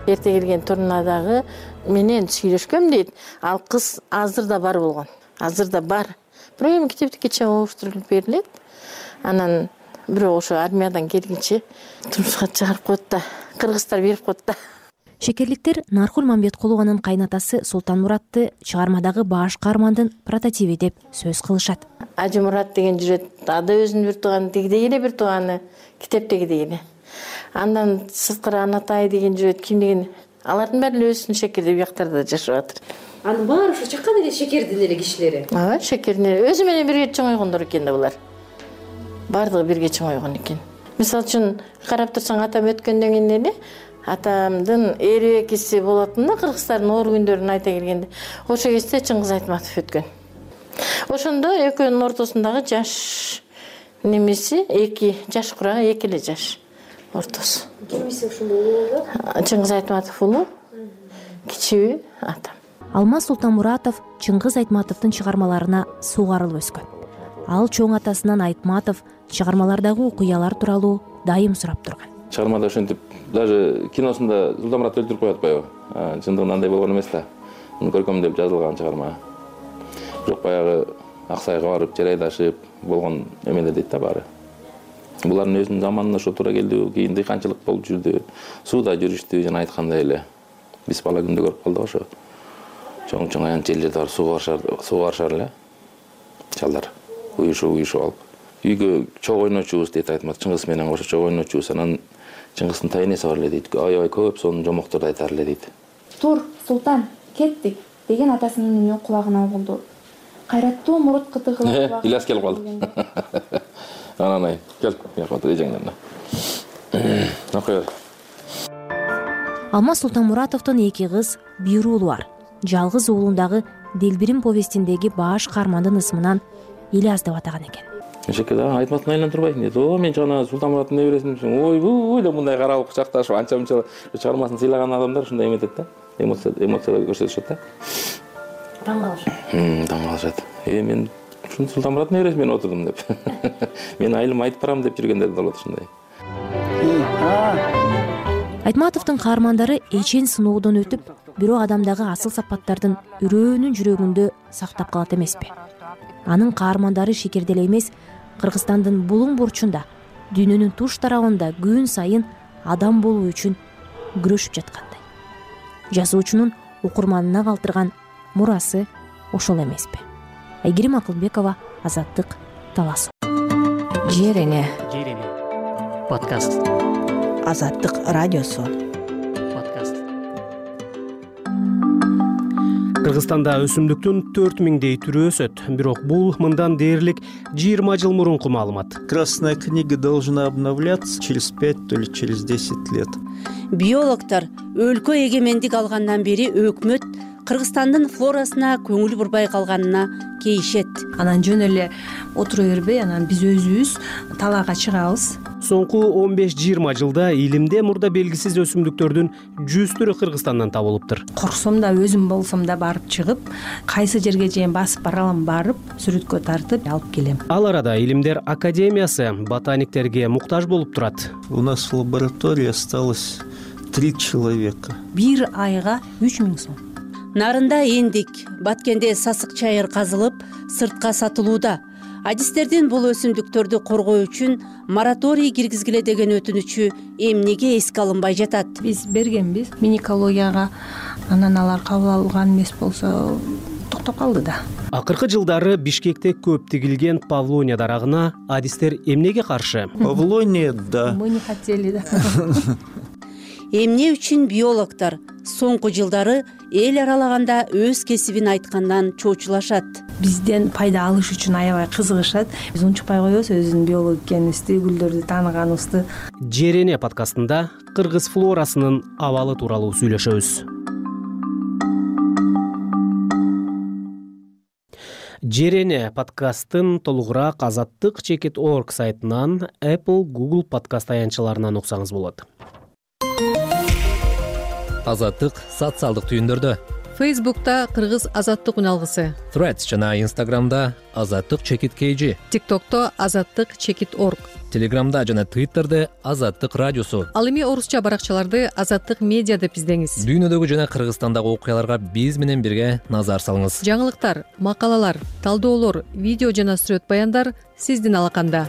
Эрте келген турнадагы менен сүйлөшкөм дейт. Ал кыз азыр да бар болгон. Азыр да бар. Бирок эми китептикке оңуштурулуп берилет. Анан бирок ошо армиядан келгенче турмушка чыгарып коет да, кыргыздар берип коет да. Шекерликтер Наркул Мамбеткулованын кайнатасы Султанмуратты чыгармадагы баш каармандын прототиби деп сөз кылышат. Ажымурат деген жүрөт, ада өзүнүн бир тууганы, тигидей эле бир тууганы, китептегидей эле. Андан сырткары Анатай деген жүрөт, ким деген, алардын баары өзүнүн шекерде бияктарда жашап атыр. Анын баары ушу чаккан эле шекердин эле кишилери. Ооба, шекердин эле. Өзү менен бирге чоңойгондор экен да булар. Бардыгы бирге чоңойгон экен. Мисалы үчүн карап турсаң, атам өткөндөн кийин эле атамдын эрекиси болотун да, кыргыздардын оор күндөрүн айта келгенде. Ошол кезде Чыңгыз Айтматов өткөн. Ошондо экөөнүн ортосундагы жаш немеси 2 жаш курагы 2 эле жаш ортосу. Кимиси ушундай болду? Чыңгыз Айтматов улуу, кичүүбү атам. Алмаз Султанмуратов Чыңгыз Айтматовдун чыгармаларына сугарылып өскөн. Ал чоң атасынан Айтматов чыгармалардагы окуялар тууралуу дайым сурап турган. Чыгармада ошентип даже киносунда Султанмурат өлтүрүп коет атпайбы? Чындыгында андай болгон эмес да. Көркөмдөп жазылган чыгарма. Бирок баягы Аксайга барып, жер айдашып болгон эмелер дейт да баары. Булардын өзүнүн заманына ошо туура келди, кийин дыйканчылык болуп жүрдү, сууда жүрүштү, жана айткандай эле. Биз бала күндө көрүп калдык ошо. Чоң аянт жерлерде барып сууга барышар эле. Чалдар уюшуп алып. Үйгө чог ойночубуз дейт Айтмат, Чыңгыз менен кошо чог ойночубуз. Анан Чыңгыздын тайнеси бар эле дейт. Аябай көп сонун жомокторду айтар эле дейт. Тур, Султан, кеттик деген атасынын үнү кулагына угулду. Кайраттуу мурут кытыгылап. Ильяс келип калды. Анан кел, отур эжеңден. Окуя. Алмаз Султанмуратовдун 2 кыз, 1 уулу бар. Жалгыз уулундагы Делбирим повестиндеги баш каармандын ысымынан Ильяс деп атаган экен. Шекер Айтматтын айынан турбайсың дейт. О, мен жана Султанмураттын небересимин. Ой, деп мындай каралып кучакташып, анча-мынча чыгармасын сыйлаган адамдар ушундай эметет да. Эмоциялар көрсөтүшөт да. Таң калышат. Таң калышат. Мен ушун Султанмураттын небересимен отурдум деп. Мен айылым айтып барам деп жүргөндөр болот ушундай. Айтматовдун каармандары эчен сыноодон өтүп, бирок адамдагы асыл сапаттардын үрөөнүн жүрөгүндө сактап калат эмеспи? Анын каармандары шекерде эле эмес, Кыргызстандын булуң бурчунда, дүйнөнүн туш тарабында күн сайын адам болуу үчүн күрөшүп жаткандай. Жазуучунун окурманына калтырган мурасы ошол эмеспи? Айгерим Акылбекова, Азаттык, Талас. Жерене. Подкаст. Азаттык радиосу. Кыргызстанда өсүмдүктүн 4000дей түрү өсөт, бирок бул мындан дээрлик 20 жыл мурунку маалымат. Красная книга должна обновляться через 5 или через 10 лет. Биологтор өлкө эгемендик алгандан бери өкмөт Кыргызстандын флорасына көңүл бурбай калганына кейишет. Анан жөн эле отура бербей, анан биз өзүбүз талаага чыгабыз. Соңку 15-20 жылда илимде мурда белгисиз өсүмдүктөрдүн 100 түрү Кыргызстандан табылыптыр. Корксом да, өзүм болсом да барып чыгып, кайсы жерге чейин басып бара алам, барып сүрөткө тартып алып келем. Ал арада Илимдер академиясы ботаниктерге муктаж болуп турат. У нас в лаборатории осталось 3 человека. Бир айга 3000 сом. Нарында эндик, Баткенде сасык чайыр казылып, сыртка сатылууда. Адистердин бул өсүмдүктөрдү коргоо үчүн мораторий киргизгиле деген өтүнүчү эмнеге эске алынбай жатат? Биз бергенбиз миникологияга, анан алар кабыл алган эмес болсо токтоп калды да. Акыркы жылдары Бишкекте көп тигилген павлония дарагына адистер эмнеге каршы? Павлония, да. Мы не хотели, да. Эмне үчүн биологтор соңку жылдары эл аралаганда өз кесибин айткандан чоочулашат? Бизден пайда алыш үчүн аябай кызыгышат. Биз унчукпай коебуз өзүнүн биолог экенибизди, гүлдөрдү тааныганыбызды. Жерене подкастында кыргыз флорасынын абалы тууралуу сүйлөшөбүз. Жерене подкастын толугураак Азаттык.org сайтынан, Apple, Google подкаст аянтчаларынан уксаңыз болот. Азаттык социалдык түйүндөрдө. Facebook'ta Кыргыз Азаттык үналгысы. Threads жана Instagram'da Азаттык_KG. TikTok'ta Азаттык_org. Telegram'da жана Twitter'de Азаттык радиосу. Ал эми орусча баракчаларды Азаттык медиа деп издеңиз. Дүйнөдөгү жана Кыргызстандагы окуяларга биз менен бирге назар салыңыз. Жаңылыктар, макалалар, талдоолор, видео жана сүрөт баяндар сиздин алаканда.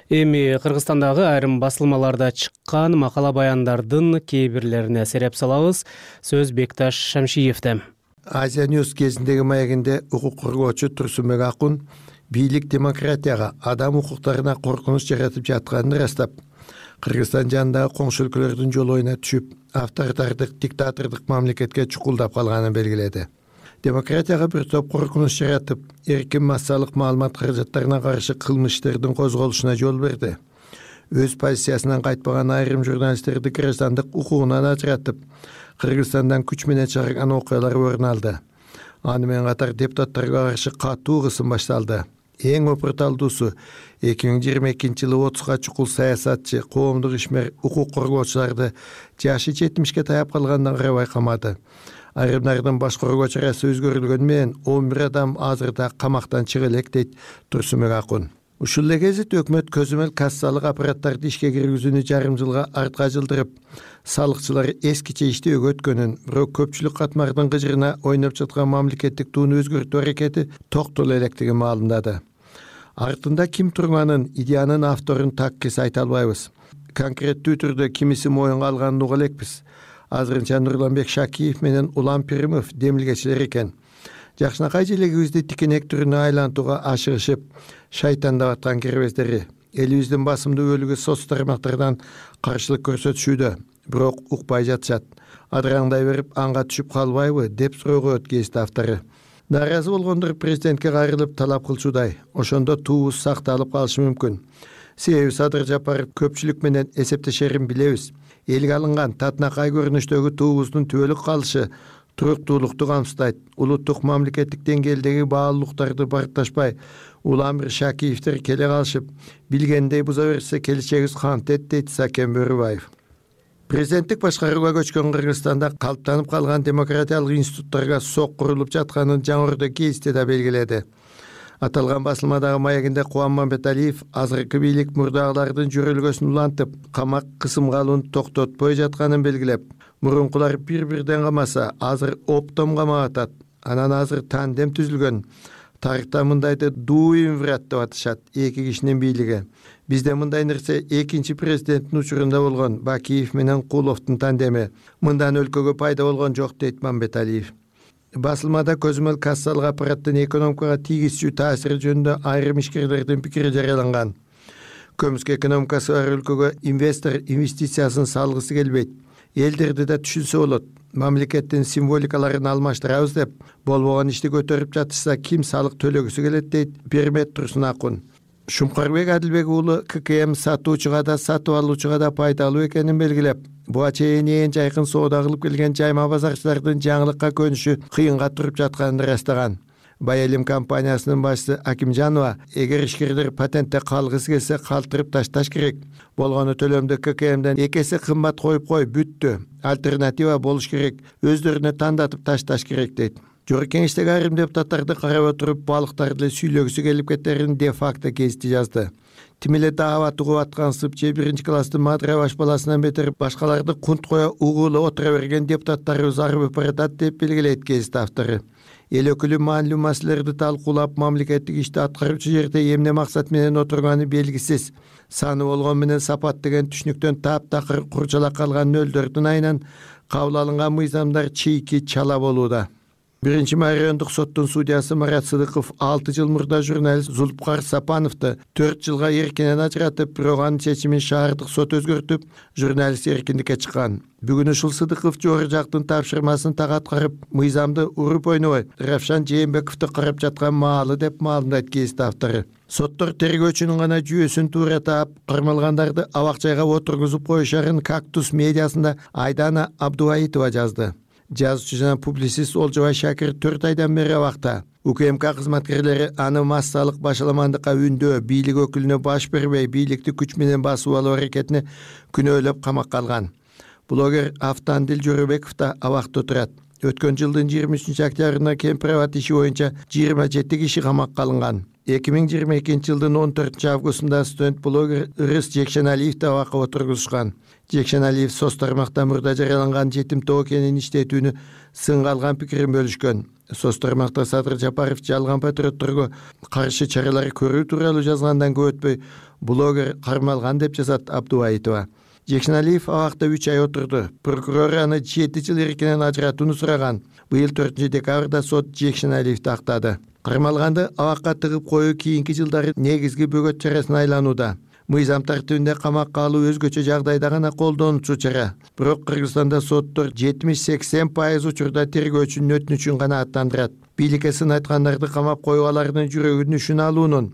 Эми Кыргызстандагы айрым басылмаларда чыккан макала баяндардын кээ бирлерине сереп салабыз. Сөз Бекташ Шамшиевде. Азия Ньюс кезиндеги маегинде укук коргоочу Турсунбек Акун бийлик демократияга, адам укуктарына коркунуч жаратып жатканын ырастап, Кыргызстан жанындагы коңшу өлкөлөрдүн жолоюна түшүп, авторитардык, диктатордук мамлекетке чукулдап калганын белгиледи. Демократияга бир топ коркунуч жаратып, эркин массалык маалымат каражаттарына каршы кылмыштардын козголушуна жол берди. Өз позициясынан кайтпаган айрым журналисттерди граждандык укугунан ажыратып, Кыргызстандан күч менен чыгарган окуялар орун алды. Аны менен катар депутаттарга каршы катуу кысым башталды. Эң опурталдуусу 2022-жылы 30га чукул саясатчы, коомдук ишмер, укук коргоочуларды жашы 70ке таяп калгандан карабай камады. Айрымдардын баш коргоочу арасы өзгөрүлгөнү менен 11 адам азырда камактан чыга элек, дейт Турсунбек Акун. Ушул эле кезет өкмөт көзөмөл кассалык аппараттарды ишке киргизүүнү жарым жылга артка жылдырып, салыкчылар эскиче иштөөгө өткөнүн, бирок көпчүлүк катмардын кыжырына ойноп жаткан мамлекеттик тууну өзгөртүү аракети токтоло электигин маалымдады. Артында ким турганын, идеянын авторун таккис айта албайбыз. Конкреттүү түрдө кимиси моюнга алганын уга элекпиз. Азырынча Нурланбек Шакиев менен Улам Пиримов демилгечилер экен. Жакшынакай желегибизди тикенек түрүнө айлантууга ашыгышып, шайтандап аткан кирбездери элибиздин басымдуу бөлүгү соц тармактардан каршылык көрсөтүшүүдө, бирок укпай жатышат. Адыраңдай берип анга түшүп калбайбы деп суроо коет гезит автору. Наразы болгондор президентке кайрылып талап кылчудай, ошондо туубуз сакталып калышы мүмкүн. Себеби Садыр Жапаров көпчүлүк менен эсептешерин билебиз. Элге алынган татынакай көрүнүштөгү туубуздун түбөлүк калышы туруктуулукту камсыздайт. Улуттук мамлекеттик деңгээлдеги баалуулуктарды баркташпай, Уламир Шакиевдер келе калышып, билгендей буза берсе келечегибиз кантет, дейт Сакен Бөрүбаев. Президенттик башкарууга көчкөн Кыргызстанда калыптанып калган демократиялык институттарга сок курулуп жатканын жаңырды гезитте да белгиледи. Аталган басылмадагы маегинде Кубан Мамбеталиев азыркы бийлик мурдагылардын жөрөлгөсүн улантып, камак кысымга алууну токтотпой жатканын белгилеп, мурункулар бир-бирден камаса, азыр оптом камап атат. Анан азыр тандем түзүлгөн. Тарыхта мындайды дуинврат деп атышат, эки кишинин бийлиги. Бизде мындай нерсе экинчи президенттин учурунда болгон Бакиев менен Куловдун тандеми. Мындан өлкөгө пайда болгон жок, дейт Мамбеталиев. Басылмада көзөмөл кассалык аппараттын экономикага тийгизчү таасири жөнүндө айрым ишкерлердин пикири жарыяланган. Көмүскө экономикасы бар өлкөгө инвестор инвестициясын салгысы келбейт. Элдерди да түшүнсө болот. Мамлекеттин символикаларын алмаштырабыз деп, болбогон ишти көтөрүп жатышса ким салык төлөгүсү келет, дейт Пермет Турсун Акун. Шумкарбек Адилбек уулу ККМ сатуучуга да сатып алуучуга да пайдалуу экенин белгилеп, буга чейин эң жайкын соода кылып келген жайма базарчылардын жаңылыкка көнүшү кыйынга туруп жатканын ырастаган. Байелим компаниясынын башчысы Акимжанова, эгер ишкерлер патентте калгысы келсе калтырып ташташ керек. Болгону төлөмдү ККМден 2 эсе кымбат коюп бүттү. Альтернатива болуш керек. Өздөрүнө тандатып ташташ керек, дейт. Жогорку кеңештеги айрым депутаттарды карап отуруп, балыктарды эле сүйлөгүсү келип кетерин де-факто гезити жазды. Тим эле даават угуп аткансып, же 1-класстын Мадыра баш баласынан бетер башкаларды кунт коя угуулу отура берген депутаттарыбыз арып баратат, деп белгилейт гезит автору. Эл өкүлү маанилүү маселелерди талкуулап, мамлекеттик ишти аткаруучу жерде эмне максат менен отурганы белгисиз. Саны болгон менен сапат деген түшүнүктөн таптакыр курчалак калган нөлдөрдүн айынан кабыл алынган мыйзамдар чийки чала болууда. 1-май райондук соттун судьясы Марат Сыдыков 6 жыл мурда журналист Зулпкар Сапановду 4 жылга эркинен ажыратып, бирок анын чечимин шаардык сот өзгөртүп, журналист эркиндикке чыккан. Бүгүн ушул Сыдыков жогору жактын тапшырмасын так аткарып, мыйзамды уруп ойнобой Равшан Жээнбековду карап жаткан маалы, деп маалымдайт гезит автору. Соттор тергөөчүнүн гана жүйөсүн туура таап, кармалгандарды абак-жайга отургузуп коюшарын Кактус медиасында Айдана Абдуваитова жазды. Жазуучу жана публицист Олжобай Шакир 4 айдан бери абакта. УКМК кызматкерлери аны массалык башаламандыкка үндөө, бийлик өкүлүнө баш бербей, бийликти күч менен басып алуу аракетине күнөөлөп камакка алган. Блогер Автандил Жоробеков да абакта турат. Өткөн жылдын 23 октябрында Кемпирабад иши боюнча 27 киши камакка алынган. 2022 жылдын 14 августунда студент блогер Ырыс Жекшеналиевди абакка отургузушкан. Жекшеналиев соц тармакта мурда жарыяланган жетим тоо кенин иштетүүнү сынга алган пикирин бөлүшкөн. Соц тармакта Садыр Жапаров жалган патриотторго каршы чаралар көрүү тууралуу жазгандан көп өтпөй блогер кармалган деп жазат Абдубаитова. Жекшеналиев абакта 3 ай отурду. Прокурор аны 7 жыл эркинен ажыратууну сураган. Быйыл 4 декабрда сот Жекшеналиевди актады. Кармалганды абакка тыгып коюу кийинки жылдары негизги бөгөт чарасына айланууда. Мыйзам тартибинде камакка алуу өзгөчө жагдайда гана колдонуучу чара. Бирок Кыргызстанда соттор 70-80% учурда тергөөчүнүн өтүнүчүн гана аттандырат. Бийликке сын айткандарды камап коюу алардын жүрөгүн үшүн алуунун,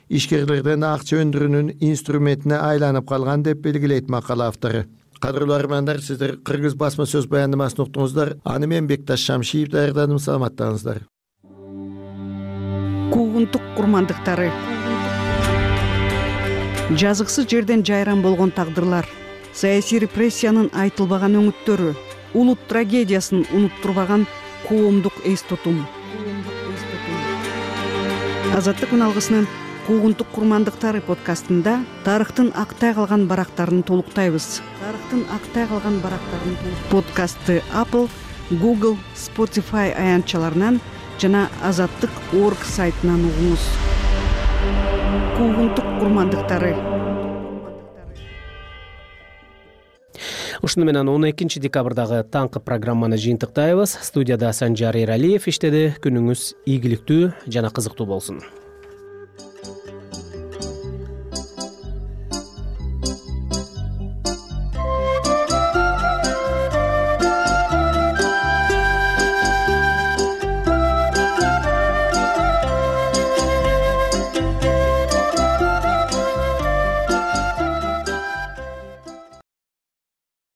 ишкерлерден акча өндүрүүнүн инструментине айланып калган деп белгилейт макала автору. Кадырлуу армандар, сиздер Кыргыз басма сөз баяндамасын уктуңуздар. Аны мен Бекташ Шамшиев даярдадым. Саламаттаңыздар. Куугунтук курмандыктары. Жазыксыз жерден жайран болгон тагдырлар, саясий репрессиянын айтылбаган өңүттөрү, улут трагедиясын унуттурбаган коомдук эс тутум. Азаттык үналгысынын Куугунтук курмандыктары подкастында тарыхтын актай калган барактарын толуктайбыз. Подкастты Apple, Google, Spotify аянтчаларынан жана Азаттык.org сайтынан угуңуз. Куугунтук курмандыктары. Ушуну менен 12 декабрдагы таңкы программаны жыйынтыктайбыз. Студияда Санжар Эралиев иштеди. Күнүңүз ийгиликтүү жана кызыктуу болсун.